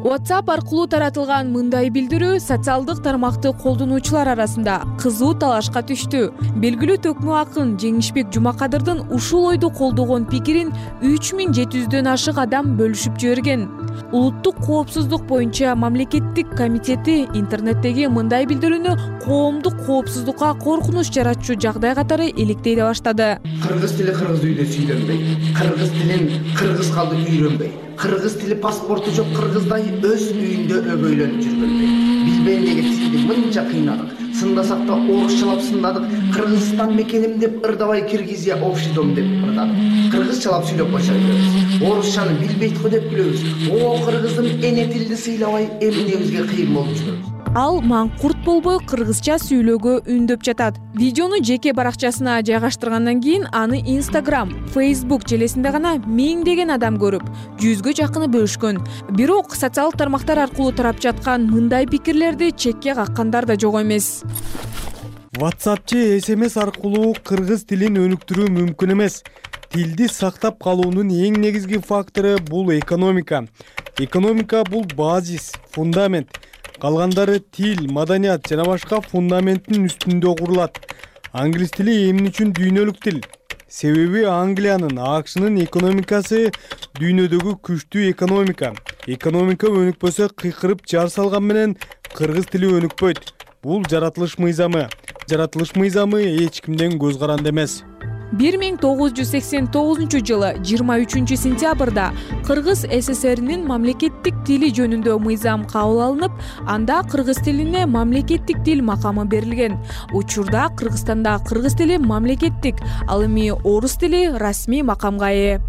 WhatsApp аркылуу таратылган мындай билдирүү социалдык тармакты колдонуучулар арасында кызуу талашка түштү. Белгилүү төкмө акын Жеңишбек Жумакадырдын ушул ойду колдогон пикирин үч миң жети жүздөн ашык адам бөлүшүп жиберген. Улуттук коопсуздук боюнча мамлекеттик комитети интернеттеги мындай билдирүүнү коомдук коопсуздукка коркунуч жаратчу жагдай катары иликтей баштады. Кыргыз тили кыргыз үйдө сүйлөнбөйт. Кыргыз тилин кыргыз калды үйрөнбөйт. Кыргыз тили паспорту жок кыргыздай өз үйүндө өгөйлөнүп жүргөнбөйт. Биз бендеги тилди мынча кыйнадык. Сындасак да орусчалап сындадык. Кыргызстан мекеним деп ырдабай Киргизия общий дом деп ырдадык. Кыргызчалап сүйлөп койсо беребиз. Орусчаны билбейт го деп күлөбүз. О, кыргыздын эне тилди сыйлабай эмнебизге кыйын болуп жүрөбүз. Ал маңкурт болбой кыргызча сүйлөөгө үндөп жатат. Видеону жеке баракчасына жайгаштыргандан кийин аны Instagram, Facebook желесинде гана миңдеген адам көрүп, жүзгө жакыны бөлүшкөн. Бирок социалдык тармактар аркылуу тарап жаткан мындай пикирлерди чекке каккандар да жок эмес. WhatsApp же эс эм эс аркылуу кыргыз тилин өнүктүрүү мүмкүн эмес. Тилди сактап калуунун эң негизги фактору бул экономика. Экономика бул базис, фундамент. Калгандары тил, маданият жана башка фундаменттин үстүндө курулат. Англис тили эмне үчүн дүйнөлүк тил? Себеби Англиянын, АКШнын экономикасы дүйнөдөгү күчтүү экономика. Экономика өнүкпөсө кыйкырып жар салган менен кыргыз тили өнүкпөйт. Бул жаратылыш мыйзамы. Жаратылыш мыйзамы эч кимден көз каранды эмес. бир миң тогуз жүз сексен тогузунчу жылы жыйырма үчүнчү сентябрда Кыргыз СССРинин мамлекеттик тили жөнүндө мыйзам кабыл алынып, анда кыргыз тилине мамлекеттик тил макамы берилген. Учурда Кыргызстанда кыргыз тили мамлекеттик, ал эми орус тили расмий макамга ээ.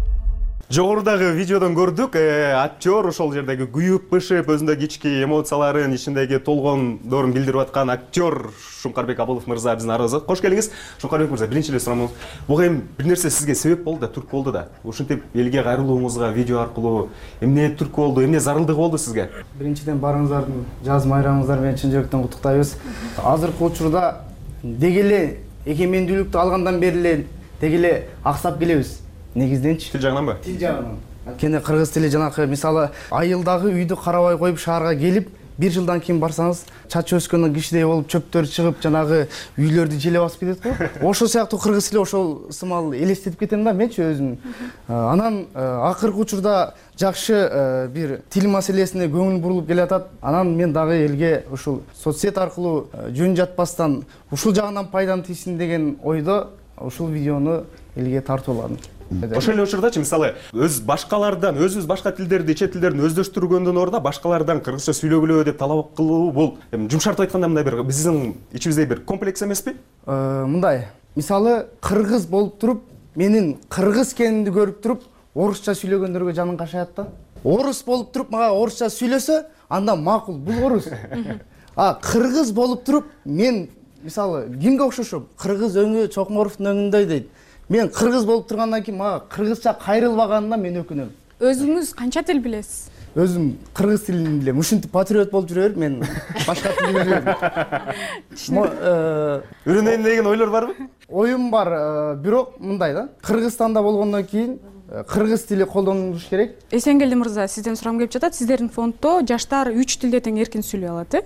Жогорудагы видеодон көрдүк, актер ошол жердеги күйүп бышып өзүндө кички эмоцияларын, ичиндеги толгондорун билдирип аткан актер Шуңкарбек Абылов мырза биздин арабызга кош келиңиз. Шуңкарбек мырза, биринчи эле сурамыз, буга эми бир нерсе сизге себеп болду да, түрткү болду да. Ушинтип элге кайрылууңузга видео аркылуу эмне түрткү болду, эмне зарылдыгы болду сизге? Биринчиден барыңыздардын жаз майрамыңыздар менен чын жүрөктөн куттуктайбыз. Азыркы учурда деги эле эгемендүүлүктү алгандан бери эле деги эле аксап келебиз. Негизденчи? Тил жагынанбы? Тил жагынан. Кене кыргыз тили жанакы мисалы айылдагы үйдү карабай коюп шаарга келип, бир жылдан кийин барсаңыз, чачы өскөн кишидей болуп чөптөр чыгып, жанагы үйлөрдү желе басып кетет го. Ошол сыяктуу кыргыз тили ошол сымал элестетип кетем да менчи өзүм. Анан акыркы учурда жакшы бир тил маселесине көңүл бурулуп келатат. Анан мен дагы элге ушул соцсет аркылуу жөн жатпастан ушул жагынан пайдам тийсин деген ойдо ушул видеону элге тартууладым. Ошол эле учурдачы мисалы өз башкалардан, өзүбүз башка тилдерди, чет тилдерин өздөштүргөндөн ордо башкалардан кыргызча сүйлөгүлө деп талап кылуу бул жумшартып айтканда мындай бир биздин ичибизде бир комплекс эмеспи? Мындай, мисалы кыргыз болуп туруп, менин кыргыз экенимди көрүп туруп, орусча сүйлөгөндөргө жаның кашаят да. Орус болуп туруп, мага орусча сүйлөсө, анда макул, бул орус. А кыргыз болуп туруп, мен мисалы кимге окшошом? Кыргыз өңү Чокморовдун өңүндөй дейт. Мен кыргыз болуп тургандан кийин мага кыргызча кайрылбаганына мен өкүнөм. Өзүңүз канча тил билесиз? Өзүм кыргыз тилин билем. Ушинтип патриот болуп жүрө берип, мен башка тил билбейм. Үйрөнөйүн деген ойлор барбы? Оюм бар, бирок мындай да. Кыргызстанда болгондон кийин кыргыз тили колдонулуш керек. Эсенгелди мырза, сизден сурам келип жатат. Сиздердин фонддо жаштар үч тилде тең эркин сүйлөй алат, э?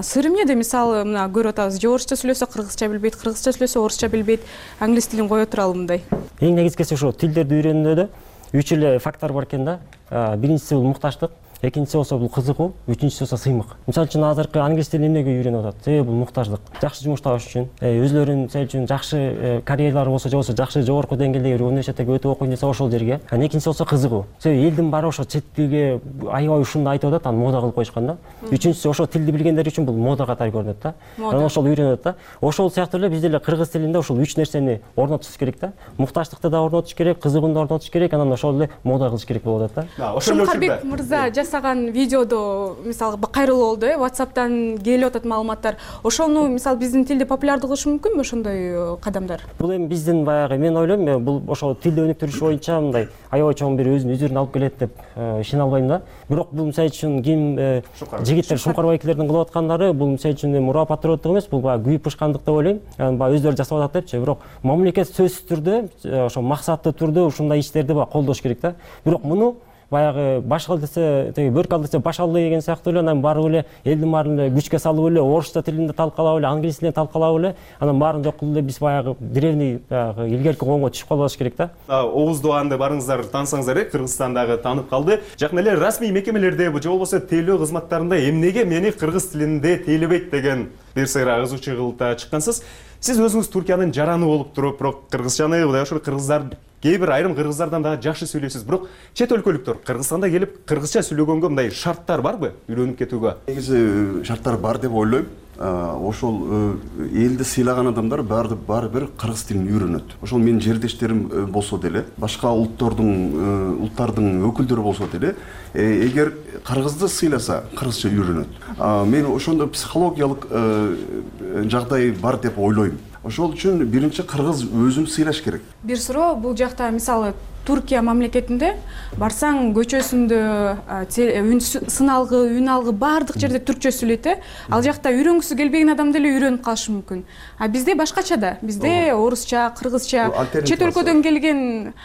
Сыры эмнеде? Мисалы, мына көрүп атабыз, же орусча сүйлөсө кыргызча билбейт, кыргызча сүйлөсө орусча билбейт, англис тилин кое туралы мындай. Эң негизгиси ошо тилдерди үйрөнүүдө үч эле фактор бар экен да. Биринчиси бул мукташтык, экинчиси болсо бул кызыгуу, үчүнчүсү болсо сыймык. Мисалы үчүн азыркы англис тилин эмнеге үйрөнүп атат? Себеби бул муктаждык. Жакшы жумуш табыш үчүн, өзлөрүнүн мисалы үчүн жакшы карьералары болсо, же болбосо жакшы жогорку деңгээлдеги университетте өтүп окуйм десе ошол жерге. Экинчиси болсо кызыгуу. Себеби элдин баары ошо чет тилге аябай ушунду айтып атат, аны мода кылып коюшкан да. Үчүнчүсү ошо тилди билгендер үчүн бул мода катары көрүнөт да. Анан ошол үйрөнөт да. Ошол сыяктуу эле биз деле кыргыз тилинде ошол үч нерсени орнотуш керек да. Мукташтыкты да орнотуш керек, кызыгууну да орнотуш керек, анан ошол эле мода кылыш керек болуп атат да. Шуңкарбек мырза жасаган видеодо мисалы кайрылуу болду, э, WhatsApp'тан келип атат маалыматтар. Ошону мисалы биздин тилди популярдуу кылыш мүмкүнбү ошондой кадамдар? Бул эми биздин баягы мен ойлойм, бул ошол тилди өнүктүрүш боюнча мындай аябай чоң бир өзүнүн үзүрүн алып келет деп ишене албайм да. Бирок бул мисалы үчүн ким жигиттер Шуңкарбектердин кылып аткандары бул мисалы үчүн эми ура патриоттук эмес, бул баягы күйүп бышкандык деп ойлойм. Баягы өздөрү жасап атат депчи. Бирок мамлекет сөзсүз түрдө ошо максаттуу түрдө ушундай иштерди баягы колдош керек да. Бирок муну баягы баш кыл десе, теги бөрк ал десе баш алды деген сыяктуу эле, анан барып эле элдин баарын эле күчкө салып эле орусча тилинде талкалап эле, англис тилинде талкалап эле, анан баарын жок кылып эле биз баягы древний баягы илгерки коомго түшүп калбаш керек да. Оғуз Doğanды барыңыздар таанысаңыздар, э, Кыргызстандагы таанып калды. Жакын эле расмий мекемелерде, же болбосо тейлөө кызматтарында эмнеге мени кыргыз тилинде тейлебейт деген бир сыйра кызуучу кылыпта чыккансыз. Сиз өзүңүз Туркиянын жараны болуп туруп, бирок кыргызчаны мындай ошол кыргыздар кээ бир айрым кыргыздардан дагы жакшы сүйлөйсүз. Бирок чет өлкөлүктөр Кыргызстанда келип кыргызча сүйлөгөнгө мындай шарттар барбы үйрөнүп кетүүгө? Негизи шарттар бар деп ойлойм. Ошол элди сыйлаган адамдар баары баары бир кыргыз тилин үйрөнөт. Ошол менин жердештерим болсо деле, башка улуттардын улуттардын өкүлдөрү болсо деле, эгер кыргызды сыйласа, кыргызча үйрөнөт. Мен ошондой психологиялык жагдай бар деп ойлойм. Ошол үчүн биринчи кыргыз өзүн сыйлаш керек. Бир суроо, бул жакта мисалы Туркия мамлекетинде барсаң көчөсүндө сын алгы, үн алгы баардык жерде түркчө сүйлөйт, э? Ал жакта үйрөнгүсү келбеген адам деле үйрөнүп калышы мүмкүн. А бизде башкача да. Бизде орусча, кыргызча, чет өлкөдөн келген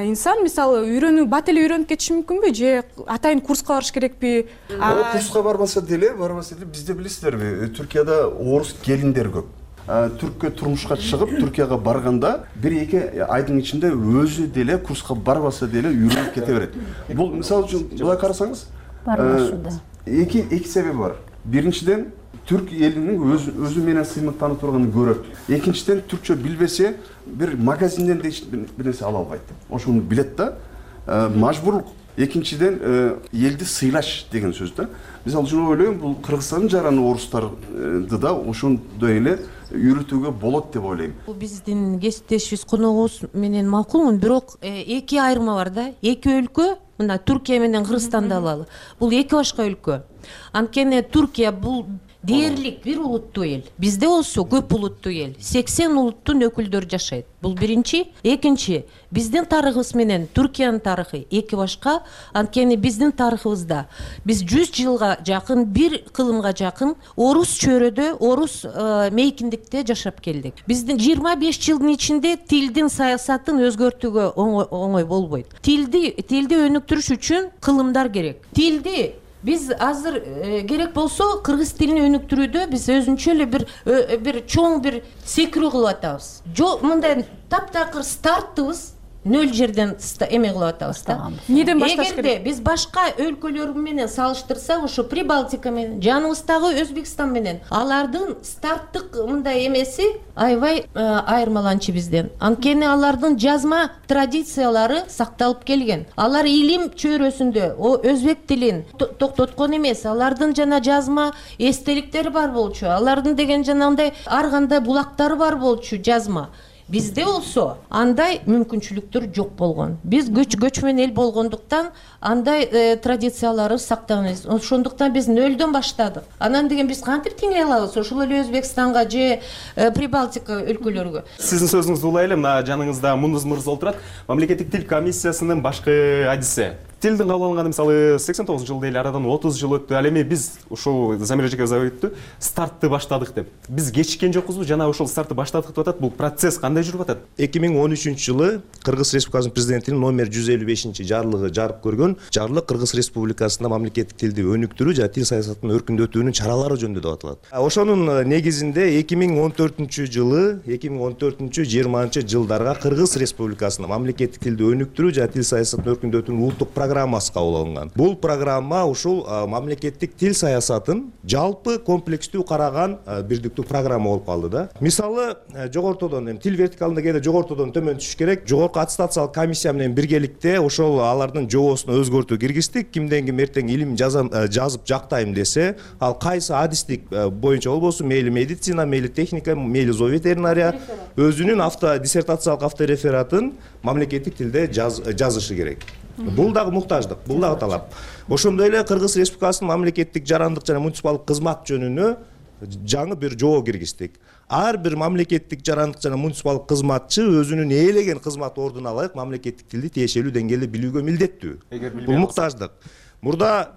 инсан мисалы үйрөнүү, бат эле үйрөнүп кетиши мүмкүнбү, же атайын курска барыш керекпи? Курска барбаса деле, барбаса деле бизде билесиздерби, Түркияда орус келиндер көп. Түрккө турмушка чыгып, Түркияга барганда бир эки айдын ичинде өзү деле курска барбаса деле үйрөнүп кете берет. Бул мисалы үчүн былай карасаңыз, эки эки себеби бар. Биринчиден түрк элинин өз өзү менен сыймыктанып турганын көрөт. Экинчиден түркчө билбесе, бир магазинден бир нерсе ала албайт. Ошону билет да, мажбурлук экинчиден элди сыйлаш деген сөз да. Мисалы үчүн ойлойм, бул Кыргызстандын жараны орустарды да ошондой эле үйрөтүүгө болот деп ойлойм. Бул биздин кесиптешибиз коногубуз менен макулмун, бирок эки айырма бар да. Эки өлкө, мына Түркия менен Кыргызстанды алалы. Бул эки башка өлкө. Анткени Түркия бул дээрлик бир улуттуу эл. Бизде болсо көп улуттуу эл. сексен улуттун өкүлдөрү жашайт. Бул биринчи. Экинчи, биздин тарыхыбыз менен Түркиянын тарыхы эки башка. Анткени биздин тарыхыбызда биз жүз жылга жакын, бир кылымга жакын орус чөйрөдө, орус мейкиндикте жашап келдик. Биздин жыйырма беш жылдын ичинде тилдин саясатын өзгөртүүгө оңой болбойт. Тилди тилди өнүктүрүш үчүн кылымдар керек. Тилди биз азыр керек болсо кыргыз тилин өнүктүрүүдө биз өзүнчө эле бир бир чоң бир секирүү кылып атабыз. Жок, мындай таптакыр стартыбыз нөл жерден эме кылып атабыз да. Неден башташ керек? Эгерде биз башка өлкөлөр менен салыштырсак, ошо Прибалтика менен, жаныбыздагы Өзбекстан менен, алардын старттык мындай эмеси аябай айырмаланчу бизден. Анткени алардын жазма традициялары сакталып келген. Алар илим чөйрөсүндө өзбек тилин токтоткон эмес, алардын жана жазма эстеликтери бар болчу. Алардын деген жанагындай ар кандай булактары бар болчу жазма. Бизде болсо андай мүмкүнчүлүктөр жок болгон. Биз көчмөн эл болгондуктан андай традициялары сакталган. Ошондуктан биз нөлдөн баштадык. Анан деген биз кантип теңей алабыз? Ошол эле Өзбекстанга же Прибалтика өлкөлөргө. Сиздин сөзүңүздү улай эле, мына жаныңызда Мундуз мырза отурат. Мамлекеттик тил комиссиясынын башкы адиси. Тилдин кабыл алынганы мисалы сексен тогузунчу жылда эле, арадан отуз жыл өттү. Ал эми биз ушул Замир эжекебиз айтты, стартты баштадык деп. Биз кечиккен жокпузбу? Жана ушул стартты баштадык деп атат. Бул процесс кандай жүрүп атат? эки миң он үчүнчү жылы Кыргыз Республикасынын президентинин номер жүз элүү бешинчи жарлыгы жарык көргөн. Жарлык Кыргыз Республикасында мамлекеттик тилди өнүктүрүү жана тил саясатынын өркүндөтүүнүн чаралары жөнүндө деп аталат. Ошонун негизинде эки миң он төртүнчү жылы, эки миң он төртүнчү жыйырманчы жылдарга Кыргыз Республикасында мамлекеттик тилди өнүктүрүү жана тил саясатын өркүндөтүүнүн улуттук программасы кабыл алынган. Бул программа ушул мамлекеттик тил саясатын жалпы комплекстүү караган бирдиктүү программа болуп калды да. Мисалы, жогортодон эми тил вертикалында кээде жогортодон төмөн түшүш керек. Жогорку аттестациялык комиссия менен биргеликте ошол алардын жобосуна өзгөртүү киргиздик. Кимден ким эртең илим жазып жактайм десе, ал кайсы адистик боюнча болбосун, мейли медицина, мейли техника, мейли зооветеринария өзүнүн авто диссертациялык авторефератын мамлекеттик тилде жазышы керек. Бул дагы муктаждык, бул дагы талап. Ошондой эле Кыргыз Республикасынын мамлекеттик жарандык жана муниципалдык кызмат жөнүнө жаңы бир жобо киргиздик. Ар бир мамлекеттик жарандык жана муниципалдык кызматчы өзүнүн ээлеген кызмат ордуна ылайык мамлекеттик тилди тиешелүү деңгээлде билүүгө милдеттүү. Бул муктаждык. Мурда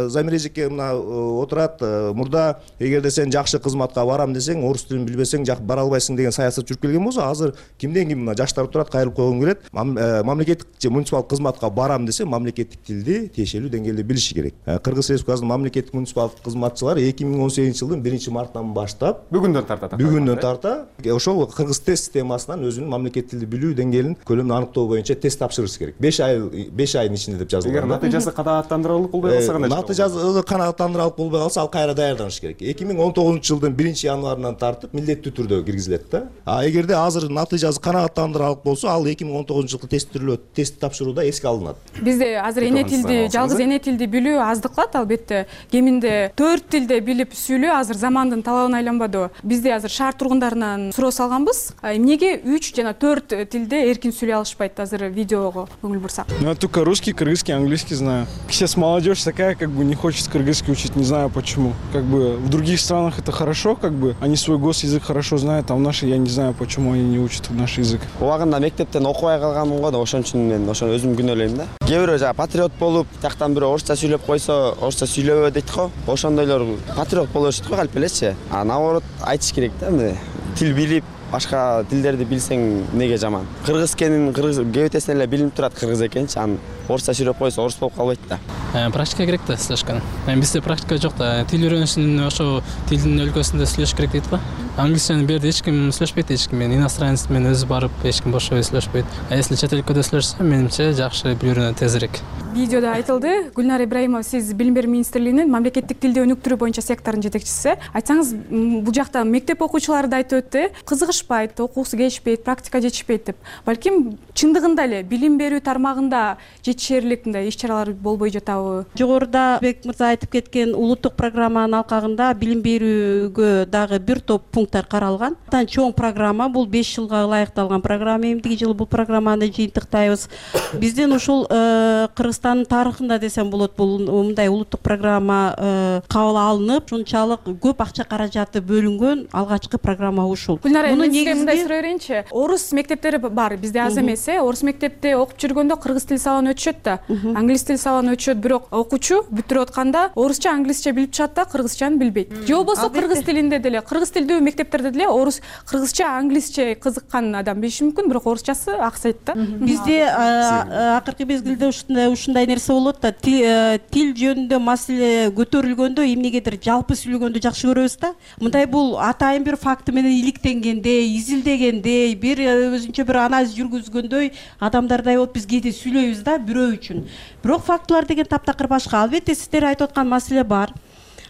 Замир эжеке мына отурат, мурда эгерде сен жакшы кызматка барам десең, орус тилин билбесең бара албайсың деген саясат жүрүп келген болсо, азыр кимден ким мына жаштар турат, кайрылып койгум келет. Мамлекеттик же муниципалдык кызматка барам десе, мамлекеттик тилди тиешелүү деңгээлде билиши керек. Кыргыз Республикасынын мамлекеттик муниципалдык кызматчылары эки миң он сегизинчи жылдын биринчи мартынан баштап, бүгүндөн тарта, бүгүндөн тарта ошол Кыргыз тест системасынан өзүнүн мамлекеттик тилди билүү деңгээлин көлөмүн аныктоо боюнча тест тапшырышы керек. беш ай беш айдын ичинде деп жазылган. Эгер натыйжасы канааттандырарлык болбой калса кандай? Натыйжасы канааттандырарлык болбой калса, ал кайра даярданыш керек. эки миң он тогузунчу жылдын биринчи январынан тартып милдеттүү түрдө киргизилет да. А эгерде азыр натыйжасы канааттандырарлык болсо, ал эки миң он тогузунчу жылкы тесттирүүлөө тест тапшырууда эске алынат. Бизде азыр эне тилди, жалгыз эне тилди билүү аздык кылат, албетте. Кеминде төрт тилде билип сүйлөө азыр замандын талабына айланбады. Бизде азыр шаар тургундарынан суроо салганбыз. Эмнеге үч жана төрт тилде эркин сүйлөй алышпайт? Азыр видеого көңүл бурсак. Ну, я только русский, кыргызский, английский знаю. Сейчас молодежь такая, как бы не хочет кыргызский учить, не знаю почему. Как бы в других странах это хорошо, как бы они свой госязык хорошо знают, а в нашей я не знаю, почему они не учат наш язык. Убагында мектептен окубай калганмын го да, ошон үчүн мен ошону өзүм күнөөлөйм да. Кээ бирөө жана патриот болуп, тияктан бирөө орусча сүйлөп койсо, орусча сүйлөбө дейт го. Ошондойлор патриот боло беришет го, калп элечи. А наоборот айтыш керек да, мындай тил билип, башка тилдерди билсең эмнеге жаман. Кыргыз экенин, кыргыз кебетесинен эле билинип турат кыргыз экенчи, анан орусча сүйлөп койсо орус болуп калбайт да. Практика керек да сүйлөшкөн. Эми бизде практика жок да. Тил үйрөнүшүн ошо тилдин өлкөсүндө сүйлөш керек дейт го. Англисчаны берди эч ким сүйлөшпөйт, эч ким. Мен иностранец мен өзү барып эч ким бошой сүйлөшпөйт. А если чет өлкөдө сүйлөшсө, менимче жакшы билүү үйрөнөт тезирээк. Видеодо айтылды, Гүлнар Ибраимова, сиз Билим берүү министрлигинин мамлекеттик тилди өнүктүрүү боюнча сектордун жетекчиси. Айтсаңыз, бул жакта мектеп окуучулары да айтып өттү. Кызыгыш окушпайт, окугусу келишпейт, практика жетишпейт деп. Балким чындыгында эле билим берүү тармагында жетишерлик мындай иш-чаралар болбой жатабы? Жогоруда Бек мырза айтып кеткен улуттук программанын алкагында билим берүүгө дагы бир топ пункттар каралган. Андан чоң программа, бул беш жылга ылайыкталган программа. Эмдиги жылы бул программаны жыйынтыктайбыз. Биздин ушул Кыргызстандын тарыхында десем болот, бул мындай улуттук программа кабыл алынып, ушунчалык көп акча каражаты бөлүнгөн алгачкы программа ушул. Гүлнара, мен сизге мындай суроо берейинчи. Орус мектептери бар, бизде аз эмес, э? Орус мектепте окуп жүргөндө кыргыз тили сабагын өтүшөт да, англис тили сабагын өтүшөт, бирок окуучу бүтүрүп атканда орусча, англисче билип чыгат да, кыргызчаны билбейт. Же болбосо кыргыз тилинде деле, кыргыз тилдүү мектептерде деле орус, кыргызча, англисче кызыккан адам билиши мүмкүн, бирок орусчасы аксайт да. Бизде акыркы мезгилде ушундай ушундай нерсе болот да, тил жөнүндө маселе көтөрүлгөндө эмнегедир жалпы сүйлөгөндү жакшы көрөбүз да. Мындай бул атайын бир факты менен иликтенгендей, изилдегендей, бир өзүнчө бир анализ жүргүзгөндөй адамдардай болуп биз кээде сүйлөйбүз да бирөө үчүн. Бирок фактылар деген таптакыр башка. Албетте сиздер айтып аткан маселе бар.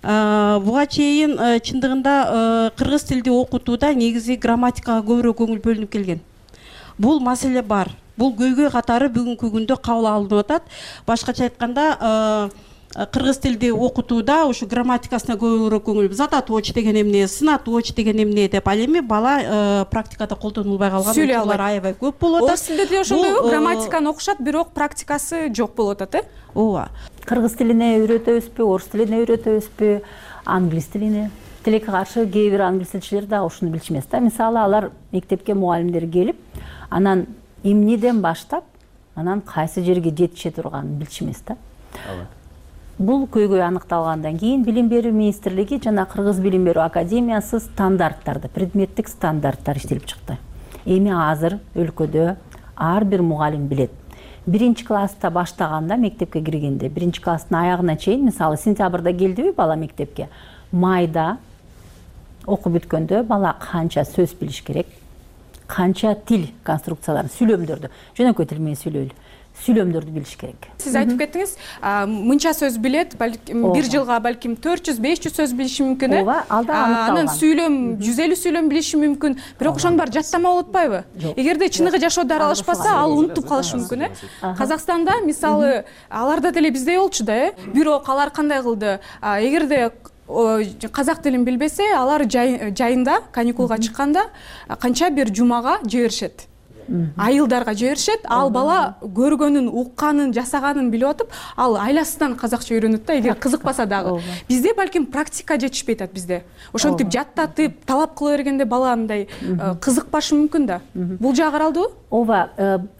Буга чейин чындыгында кыргыз тилди окутууда негизи грамматикага көбүрөөк көңүл бөлүнүп келген. Бул маселе бар. Бул көйгөй катары бүгүнкү күндө кабыл алынып атат. Башкача айтканда, кыргыз тилди окутууда ушу грамматикасына көбүрөөк көңүл, затоточ деген эмне, сынаточ деген эмне деп, ал эми бала практикада колдонулбай калган учурлар аябай көп болуп атат. Орус тилде деле ошондойбу? Грамматиканы окушат, бирок практикасы жок болуп атат, э? Ооба. Кыргыз тилине үйрөтөбүзбү, орус тилине үйрөтөбүзбү, англис тилине? Тилекке каршы кээ бир англис тилчилер да ушуну билишмес да. Мисалы, алар мектепке мугалимдер келип, анан эмнеден баштап, анан кайсы жерге жетише турганын билишмес да. Бул көйгөй аныкталгандан кийин Билим берүү министрлиги жана Кыргыз Билим берүү академиясы стандарттарды, предметтик стандарттар иштелип чыкты. Эми азыр өлкөдө ар бир мугалим билет. Биринчи класста баштаганда, мектепке киргенде, биринчи класстын аягына чейин, мисалы, сентябрда келдиби бала мектепке, майда окуп бүткөндө бала канча сөз билиш керек, канча тил конструкцияларын, сүйлөмдөрдү, жөнөкөй тил менен сүйлөйлү, сүйлөмдөрдү билиш керек. Сиз айтып кеттиңиз, мынча сөз билет, балким бир жылга балким төрт жүз беш жүз сөз билиши мүмкүн, э? Ооба, алда аныкталган. Анан сүйлөм жүз элүү сүйлөм билиши мүмкүн, бирок ошонун баары жаттама болуп атпайбы? Эгерде чыныгы жашоодо аралашпаса, ал унутуп калышы мүмкүн, э? Казакстанда мисалы аларда деле биздей болчу да, э? Бирок алар кандай кылды? Эгерде казак тилин билбесе, алар жайында каникулга чыкканда канча бир жумага жиберишет. Айылдарга жиберишет, ал бала көргөнүн, укканын, жасаганын билип атып, ал айласынан казакча үйрөнөт да, эгер кызыкпаса дагы. Бизде балким практика жетишпейт атат бизде. Ошентип жаттатып, талап кыла бергенде бала мындай кызыкпашы мүмкүн да. Бул жагы каралдыбы? Ооба,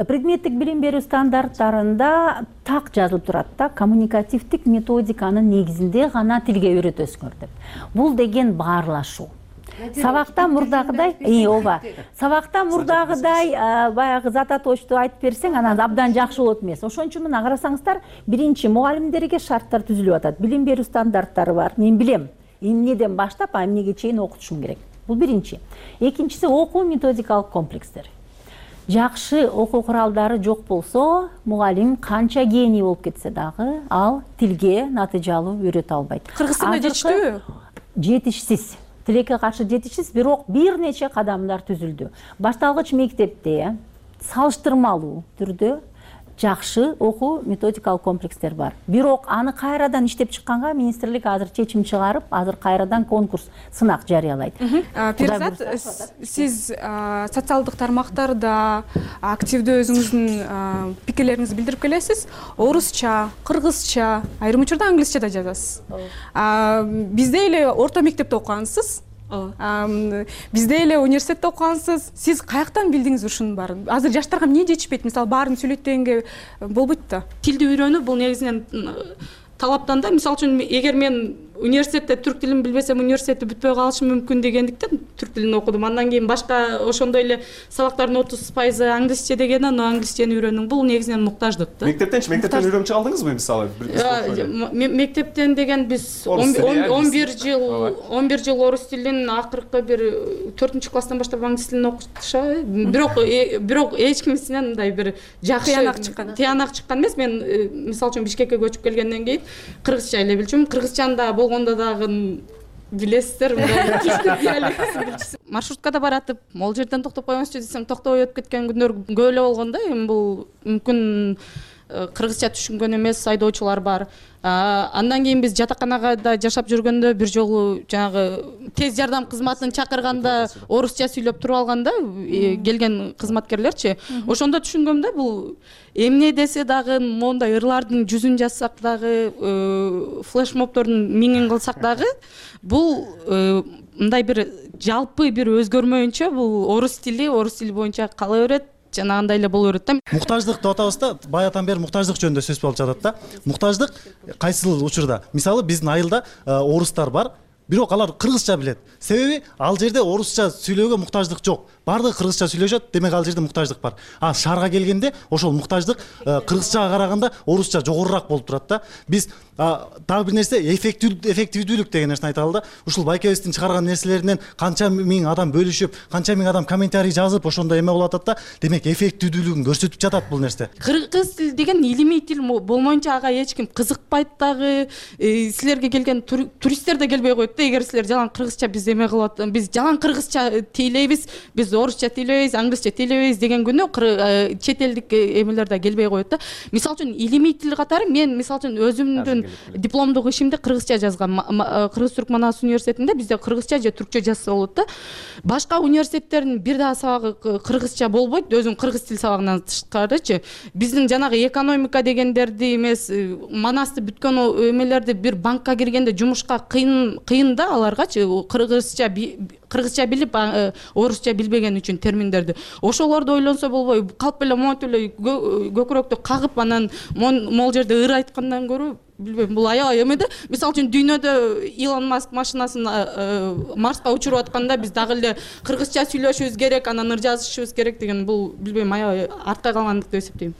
предметтик билим берүү стандарттарында так жазылып турат да, коммуникативдик методиканын негизинде гана тилге үйрөтөсүңөр деп. Бул деген баарлашуу. Сабакта мурдагыдай, ооба. Сабакта мурдагыдай баягы затоточту айтып берсең, анан абдан жакшы болот эмес. Ошон үчүн мына карасаңыздар, биринчи мугалимдерге шарттар түзүлүп атат. Билим берүү стандарттары бар. Мен билем, эмнеден баштап, эмнеге чейин окутушум керек. Бул биринчи. Экинчиси окуу методикалык комплекстер. Жакшы окуу куралдары жок болсо, мугалим канча гений болуп кетсе дагы, ал тилге натыйжалуу үйрөтө албайт. Кыргызстанда жетиштүүбү? Жетишсиз. Тилекке каршы жетишсиз, бирок бир нече кадамдар түзүлдү. Башталгыч мектепте салыштырмалуу түрдө жакшы окуу методикалык комплекстер бар. Бирок аны кайрадан иштеп чыкканга министрлик азыр чечим чыгарып, азыр кайрадан конкурс, сынак жарыялайт. Перизат, сиз социалдык тармактарда активдүү өзүңүздүн пикирлериңизди билдирип келесиз. Орусча, кыргызча, айрым учурда англисче да жазасыз. Бизде эле орто мектепте окугансыз. Бизде эле университетте окугансыз. Сиз каяктан билдиңиз ушунун баарын? Азыр жаштарга эмне жетишпейт? Мисалы, баарын сүйлөйт дегенге болбойт да. Тилди үйрөнүү бул негизинен талаптан да. Мисалы үчүн, эгер мен университетте түрк тилин билбесем, университетти бүтпөй калышым мүмкүн дегендиктен түрк тилин окудум. Андан кийин башка ошондой эле сабактардын отуз пайызы англисче деген, аны англисчени үйрөнүм. Бул негизинен муктаждык да. Мектептенчи, мектептен үйрөнүп чыга алдыңызбы мисалы? Мектептен деген биз он бир жыл он бир жыл орус тилин, акыркы бир төртүнчү класстан баштап англис тилин окутуша. Бирок бирок эч кимисинен мындай бир жакшы тыянак чыккан. Тыянак чыккан эмес. Мен мисалы үчүн Бишкекке көчүп келгенден кийин кыргызча эле билчүмүн. Кыргызчаны да болгондо дагы билесиздер мындай маршруткада баратып могул жерден токтоп коймосчу десең токтобой өтүп кеткен күндөр көп эле болгон да. Эми бул мүмкүн кыргызча түшүнгөн эмес айдоочулар бар. Андан кийин биз жатаканага да жашап жүргөндө бир жолу жанагы тез жардам кызматын чакырганда орусча сүйлөп туруп алганда келген кызматкерлерчи, ошондо түшүнгөм да, бул эмне десе дагы моундай ырлардын жүзүн жазсак дагы, флешмобдордун миңин кылсак дагы бул мындай бир жалпы бир өзгөрмөйүнчө бул орус тили, орус тили боюнча кала берет, жанагындай эле боло берет да. Муктаждык деп атабыз да, баягыдан бери муктаждык жөнүндө сөз болуп жатат да. Муктаждык кайсыл учурда? Мисалы биздин айылда орустар бар, бирок алар кыргызча билет. Себеби ал жерде орусча сүйлөөгө муктаждык жок. Бардыгы кыргызча сүйлөшөт, демек ал жерде муктаждык бар. А шаарга келгенде ошол муктаждык кыргызчага караганда орусча жогорураак болуп турат да. Биз дагы бир нерсе эффективдүүлүк деген нерсени айталы да. Ушул байкебиздин чыгарган нерселеринен канча миң адам бөлүшүп, канча миң адам комментарий жазып, ошондой эме болуп атат да. Демек эффективдүүлүгүн көрсөтүп жатат бул нерсе. Кыргыз тил деген илимий тил болмоюнча ага эч ким кызыкпайт дагы. Силерге келген туристтер да келбей коет да, эгер силер жалаң кыргызча биз эме кылып, биз жалаң кыргызча тейлейбиз, биз орусча тейлейбиз, англисче тейлейбиз деген күнү чет элдик эмелер да келбей коет да. Мисалы үчүн илимий тил катары мен мисалы үчүн өзүмдүн дипломдук ишимди кыргызча жазгам. Кыргыз-Түрк Манас университетинде бизде кыргызча же түркчө жазса болот да. Башка университеттердин бир дагы сабагы кыргызча болбойт, өзүм кыргыз тил сабагынан тышкарычы. Биздин жанагы экономика дегендерди эмес, Манасты бүткөн эмелерди бир банкка киргенде жумушка кыйын кыйын да аларгачы, кыргызча кыргызча билип, орусча билбеген үчүн терминдерди. Ошолорду ойлонсо болбой, калп эле монтип эле көкүрөктү кагып анан могул жерде ыр айткандан көрө, билбейм, бул аябай эме да. Мисалы үчүн дүйнөдө Илон Маск машинасын Марска учуруп атканда биз дагы эле кыргызча сүйлөшүбүз керек, анан ыр жазышыбыз керек деген бул билбейм, аябай артка калгандык деп эсептейм.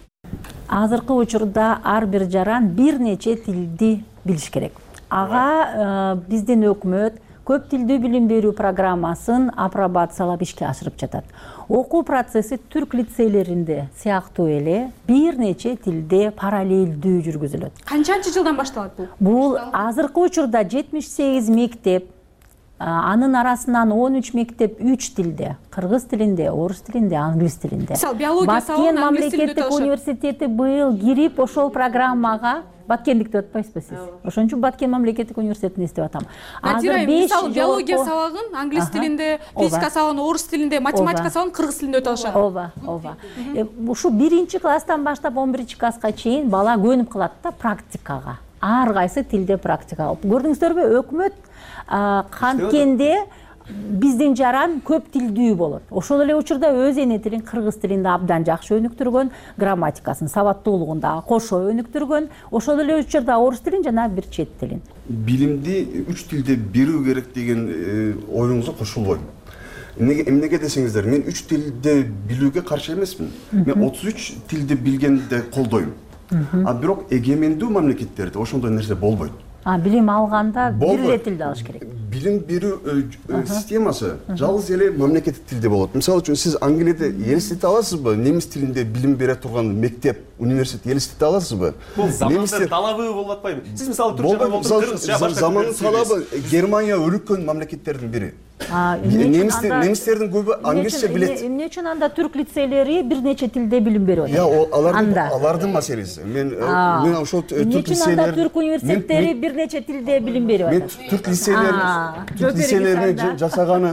Азыркы учурда ар бир жаран бир нече тилди билиш керек. Ага биздин өкмөт көп тилдүү билим берүү программасын апробациялап ишке ашырып жатат. Окуу процесси түрк лицейлеринде сыяктуу эле бир нече тилде параллелдүү жүргүзүлөт. Канчанчы жылдан башталат бул? Бул азыркы учурда жетимиш сегиз мектеп, анын арасынан он үч мектеп үч тилде, кыргыз тилинде, орус тилинде, англис тилинде. Мисалы биология сабагын англис тилинде мамлекеттик университети быйыл кирип ошол программага Баткендик деп атпайсызбы сиз? Ошон үчүн Баткен мамлекеттик университетин эстеп атам. Азыр мисалы биология сабагын англис тилинде, физика сабагын орус тилинде, математика сабагын кыргыз тилинде өтө алышат. Ооба, ооба. Ушу биринчи класстан баштап он биринчи класска чейин бала көнүп калат да практикага. Ар кайсы тилде практика. Көрдүңүздөрбү, өкмөт канткенде биздин жаран көп тилдүү болот. Ошол эле учурда өз эне тилин кыргыз тилинде абдан жакшы өнүктүргөн, грамматикасын, сабаттуулугун дагы кошо өнүктүргөн. Ошол эле учурда орус тилин жана бир чет тилин. Билимди үч тилде берүү керек деген оюңузга кошулбойм. Эмнеге десеңиздер, мен үч тилде билүүгө каршы эмесмин. Мен отуз үч тилди билгенди колдойм. А бирок эгемендүү мамлекеттерде ошондой нерсе болбойт. А билим алганда бир эле тилди алыш керек. Билим берүү системасы жалгыз эле мамлекеттик тилде болот. Мисалы үчүн сиз Англияда элестете аласызбы? Немис тилинде билим бере турган мектеп, университет элестете аласызбы? Бул замандын талабы болуп атпайбы? Сиз мисалы түркчө болуп кыргызча башка замандын талабы. Германия өнүккөн мамлекеттердин бири. Немистердин көбү англисче билет. Эмне үчүн анда түрк лицейлери бир нече тилде билим берип атат? Я, алардын алардын маселеси. Мен мен ошол түрк лицейлери, түрк университеттери бир нече тилде билим берип атат. Мен түрк лицейлери, түрк лицейлерини жасаганы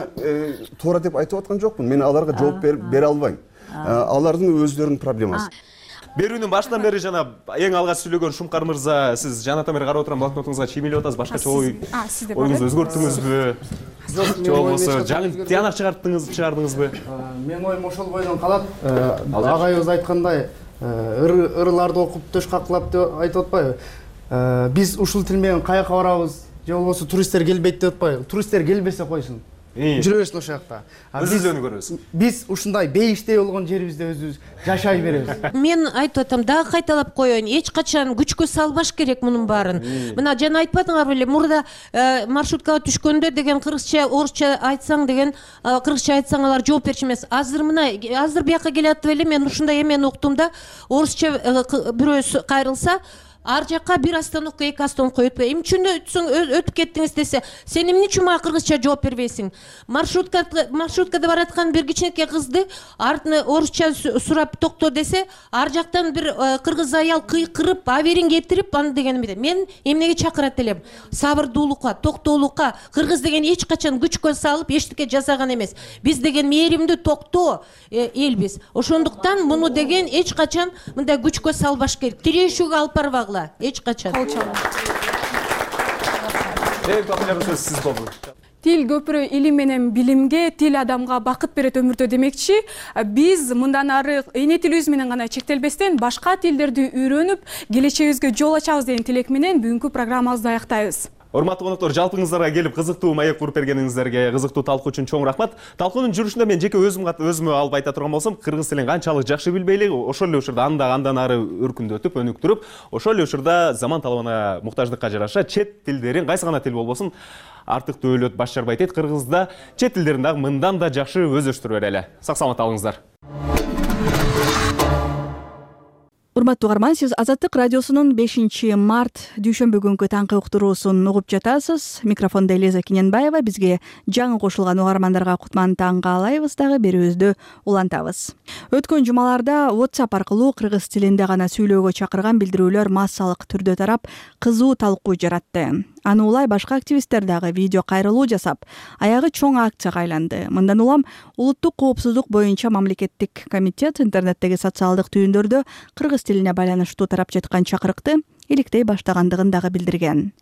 туура деп айтып аткан жокмун. Мен аларга жооп бере албайм. Алардын өздөрүнүн проблемасы. Берүүнүн башынан бери жана эң алгач сүйлөгөн Шумкар мырза, сиз жанатан бери карап отурам, блокнотуңузга чиймелеп атасыз, башкача ой оюңузду өзгөрттүңүзбү? Жок, же болбосо жаңы тыянак чыгардыңыз, чыгардыңызбы? Менин оюм ошол бойдон калат. Агайыбыз айткандай, ырларды окуп төш каклап деп айтып атпайбы? Биз ушул тил менен каяка барабыз, же болбосо туристтер келбейт деп атпайбы? Туристтер келбесе койсун. Жүрө берсин ошол жакта. Өзүбүздү көрөбүз. Биз ушундай бейиштей болгон жерибизде өзүбүз жашай беребиз. Мен айтып атам, дагы кайталап коеюн, эч качан күчкө салбаш керек мунун баарын. Мына жана айтпадыңар беле, мурда маршруткага түшкөндө деген кыргызча, орусча айтсаң деген, кыргызча айтсаң алар жооп берчү эмес. Азыр мына, азыр бияка келип атып эле, мен ушундай эмени уктум да, орусча бирөө кайрылса, ар жакка бир остановка эки остановка өтпөй эмне үчүн өтсөң өтүп кеттиңиз десе, сен эмне үчүн мага кыргызча жооп бербейсиң? Маршрутка маршруткада бараткан бир кичинекей кызды артына орусча сурап токто десе, ар жактан бир кыргыз аял кыйкырып, аберин кетирип, аны дегеним эмне? Мен эмнеге чакырат элем? Сабырдуулукка, токтоолукка. Кыргыз деген эч качан күчкө салып эчтеке жасаган эмес. Биз деген мээримдүү, токтоо элбиз. Ошондуктан муну деген эч качан мындай күчкө салбаш керек. Тирешүүгө алып барбагыла эч качан. Эң популярдуу сөз сиз болду. Тил көпүрө илим менен билимге, тил адамга бакыт берет өмүрдө демекчи, биз мындан ары эне тилибиз менен гана чектелбестен башка тилдерди үйрөнүп, келечегибизге жол ачабыз деген тилек менен бүгүнкү программабызды аяктайбыз. Урматтуу коноктор, жалпыңыздарга келип кызыктуу маек куруп бергениңиздерге, кызыктуу талкуу үчүн чоң рахмат. Талкуунун жүрүшүндө мен жеке өзүм өзүмө алып айта турган болсом, кыргыз тилин канчалык жакшы билбейли, ошол эле учурда анда андан ары өркүндөтүп, өнүктүрүп, ошол эле учурда заман талабына муктаждыкка жараша чет тилдерин, кайсы гана тил болбосун, артыктуу өлөт баш жарбай дейт. Кыргызда чет тилдерин дагы мындан да жакшы өздөштүрө берели. Сак саламат алыңыздар. Урматтуу угарман, сиз Азаттык радиосунун бешинчи март дүйшөмбү күнкү таңкы уктуруусун угуп жатасыз. Микрофондо Элиза Кененбаева. Бизге жаңы кошулган угармандарга кутман таң каалайбыз дагы, берүүбүздү улантабыз. Өткөн жумаларда WhatsApp аркылуу кыргыз тилинде гана сүйлөөгө чакырган билдирүүлөр массалык түрдө тарап, кызуу талкуу жаратты. Аны улай башка активисттер дагы видео кайрылуу жасап, аягы чоң акцияга айланды. Мындан улам улуттук коопсуздук боюнча мамлекеттик комитет интернеттеги социалдык түйүндөрдө кыргыз тилине байланыштуу тарап жаткан чакырыкты иликтей баштагандыгын дагы билдирген.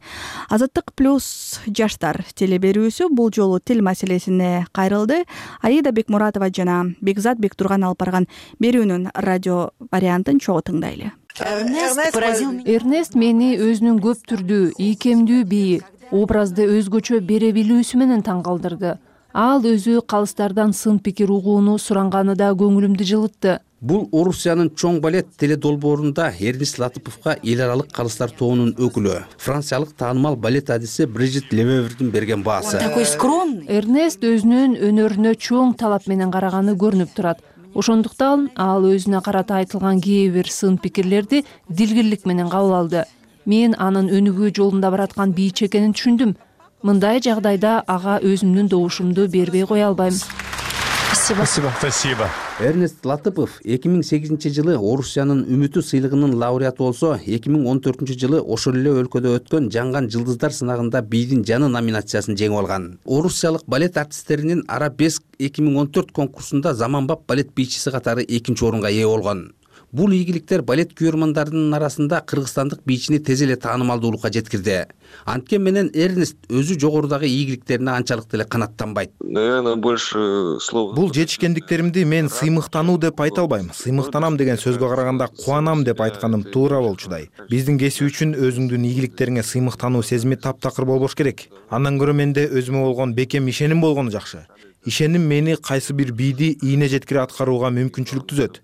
Азаттык плюс жаштар телеберүүсү бул жолу тил маселесине кайрылды. Аида Бекмуратова жана Бекзат Бектурган алып барган берүүнүн радио вариантын чогуу тыңдайлы. Эрнест мени өзүнүн көп түрдүү, ийкемдүү бии, образды өзгөчө бере билүүсү менен таң калтырды. Ал өзү калыстардан сын пикир угууну суранганы да көңүлүмдү жылытты. Бул Орусиянын чоң балет теледолбоорунда Эрнест Латыповго эл аралык калыстар тобунун өкүлү, франциялык таанымал балет адиси Брижит Левевердин берген баасы. Эрнест өзүнүн өнөрүнө чоң талап менен караганы көрүнүп турат. Ошондуктан ал өзүнө карата айтылган кээ бир сын пикирлерди дилгирлик менен кабыл алды. Мен анын өнүгүү жолунда бараткан бийчи экенин түшүндүм. Мындай жагдайда ага өзүмдүн добушумду бербей кое албайм. Спасибо. Спасибо. Эрнест Латыпов эки миң сегизинчи жылы Орусиянын үмүтү сыйлыгынын лауреаты болсо, эки миң он төртүнчү жылы ошол эле өлкөдө өткөн Жанган жылдыздар сынагында бийдин жаны номинациясын жеңип алган. Орусиялык балет артисттеринин Арабеск эки миң он төрт конкурсунда заманбап балет бийчиси катары экинчи орунга ээ болгон. Бул ийгиликтер балет күйөрмандарынын арасында кыргызстандык бийчини тез эле таанымалдуулукка жеткирди. Анткени менен Эрнест өзү жогорудагы ийгиликтерине анчалык деле канаттанбайт. Наверное, больше слов. Бул жетишкендиктеримди мен сыймыктануу деп айта албайм. Сыймыктанам деген сөзгө караганда кубанам деп айтканым туура болчудай. Биздин кесип үчүн өзүңдүн ийгиликтериңе сыймыктануу сезими таптакыр болбош керек. Андан көрө менде өзүмө болгон бекем ишеним болгону жакшы. Ишеним мени кайсы бир бийди ийне жеткире аткарууга мүмкүнчүлүк түзөт.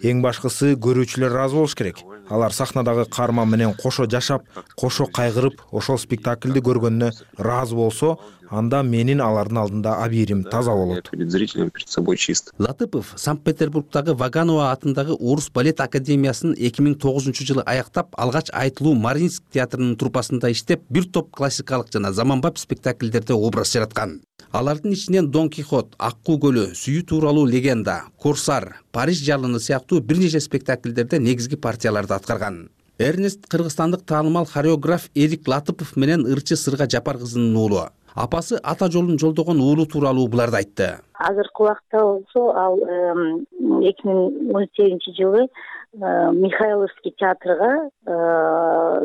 Эң башкысы көрүүчүлөр ыраазы болуш керек. Алар сахнадагы каарман менен кошо жашап, кошо кайгырып, ошол спектакльди көргөнүнө ыраазы болсо, анда менин алардын алдында абийирим таза болот. Перед зрителем перед собой чист. Латыпов Санкт-Петербургдагы Ваганова атындагы Орус балет академиясын эки миң тогузунчу жылы аяктап, алгач айтылуу Мариинск театрынын труппасында иштеп, бир топ классикалык жана заманбап спектакльдерде образ жараткан. Алардын ичинен Дон Кихот, Аккуу көлү, Сүйүү тууралуу легенда, Корсар, Париж жалыны сыяктуу бир нече спектакльдерде негизги партияларды аткарган. Эрнест кыргызстандык таанымал хореограф Эрик Латыпов менен ырчы Сырга Жапар кызынын уулу. Апасы ата жолун жолдогон уулу тууралуу буларды айтты. Азыркы убакта болсо ал эки миң он сегизинчи жылы Михайловский театрга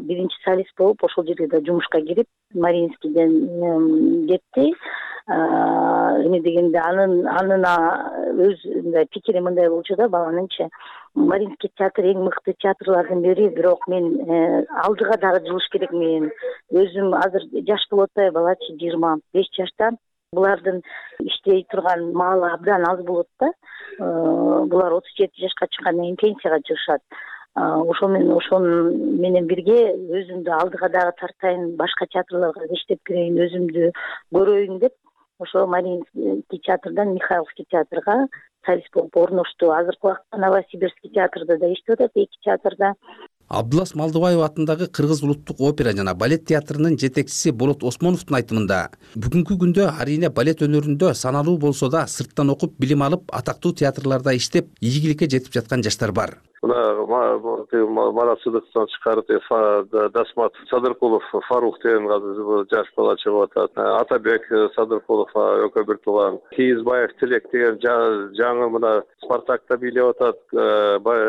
биринчи солист болуп, ошол жерге да жумушка кирип, Мариинскийден кетти. Эме дегенде анын анын өз мындай пикири мындай болчу да, баланыңчы Мариинский театр эң мыкты театрлардын бири, бирок мен алдыга дагы жылыш керек. Мен өзүм азыр жаш болуп атпайбы, балачы жыйырма беш жашта. Булардын иштей турган маалы абдан аз болот да. Булар отуз жети жашка чыккандан кийин пенсияга чыгышат. Ошол менен ошол менен бирге өзүмдү алдыга дагы тартайын, башка театрларга иштеп кирейин, өзүмдү көрөйүн деп ошо Мариинский театрдан Михайловский театрга солист болуп орношту. Азыркы убакта Новосибирский театрда да иштеп атат, эки театрда. Абдулас Малдыбаев атындагы Кыргыз улуттук опера жана балет театрынын жетекчиси Болот Осмоновдун айтымында, бүгүнкү күндө арийне балет өнөрүндө саналуу болсо да сырттан окуп билим алып, атактуу театрларда иштеп, ийгиликке жетип жаткан жаштар бар. Мына Марат Сыдыктан чыкарып, Дасмат Садыркулов, Фарух деген жаш бала чыгып атат. Атабек Садыркулов экөө бир тууган. Кийизбаев Тилек деген жаңы мына Спартакта бийлеп атат.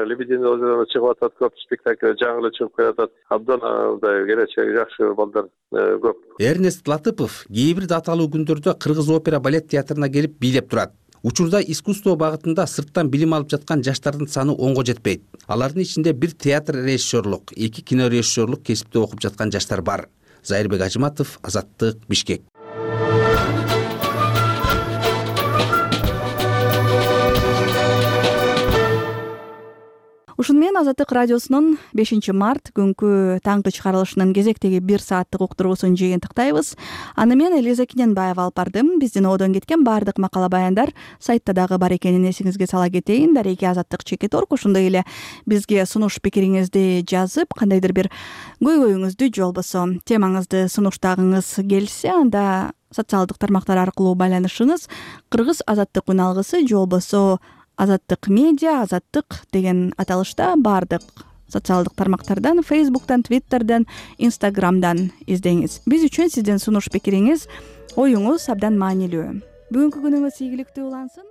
Лебединое озеро чыгып атат, көп спектакль жаңы эле чыгып келатат. Абдан мындай келечеги жакшы балдар көп. Эрнест Латыпов кээ бир даталуу күндөрдө Кыргыз опера балет театрына келип бийлеп турат. Учурда искусство багытында сырттан билим алып жаткан жаштардын саны онго жетпейт. Алардын ичинде бир театр режиссерлук, эки кино режиссерлук кесипте окуп жаткан жаштар бар. Зайырбек Ажыматов, Азаттык, Бишкек. Ушуну менен Азаттык радиосунун бешинчи март күнкү таңкы чыгарылышынын кезектеги бир сааттык уктуруусун жыйынтыктайбыз. Аны мен Элиза Кененбаева алып бардым. Биздин одон кеткен баардык макала баяндар сайтта дагы бар экенин эсиңизге сала кетейин. Дареги Азаттык чекит орг. Ошондой эле бизге сунуш пикириңизди жазып, кандайдыр бир көйгөйүңүздү же болбосо темаңызды сунуштагыңыз келсе, анда социалдык тармактар аркылуу байланышыңыз. Кыргыз Азаттык үналгысы же болбосо Азаттык медиа, Азаттык деген аталышта баардык социалдык тармактардан, Фейсбуктан, Твиттерден, Инстаграмдан издеңиз. Биз үчүн сиздин сунуш пикириңиз, оюңуз абдан маанилүү. Бүгүнкү күнүңүз ийгиликтүү улансын.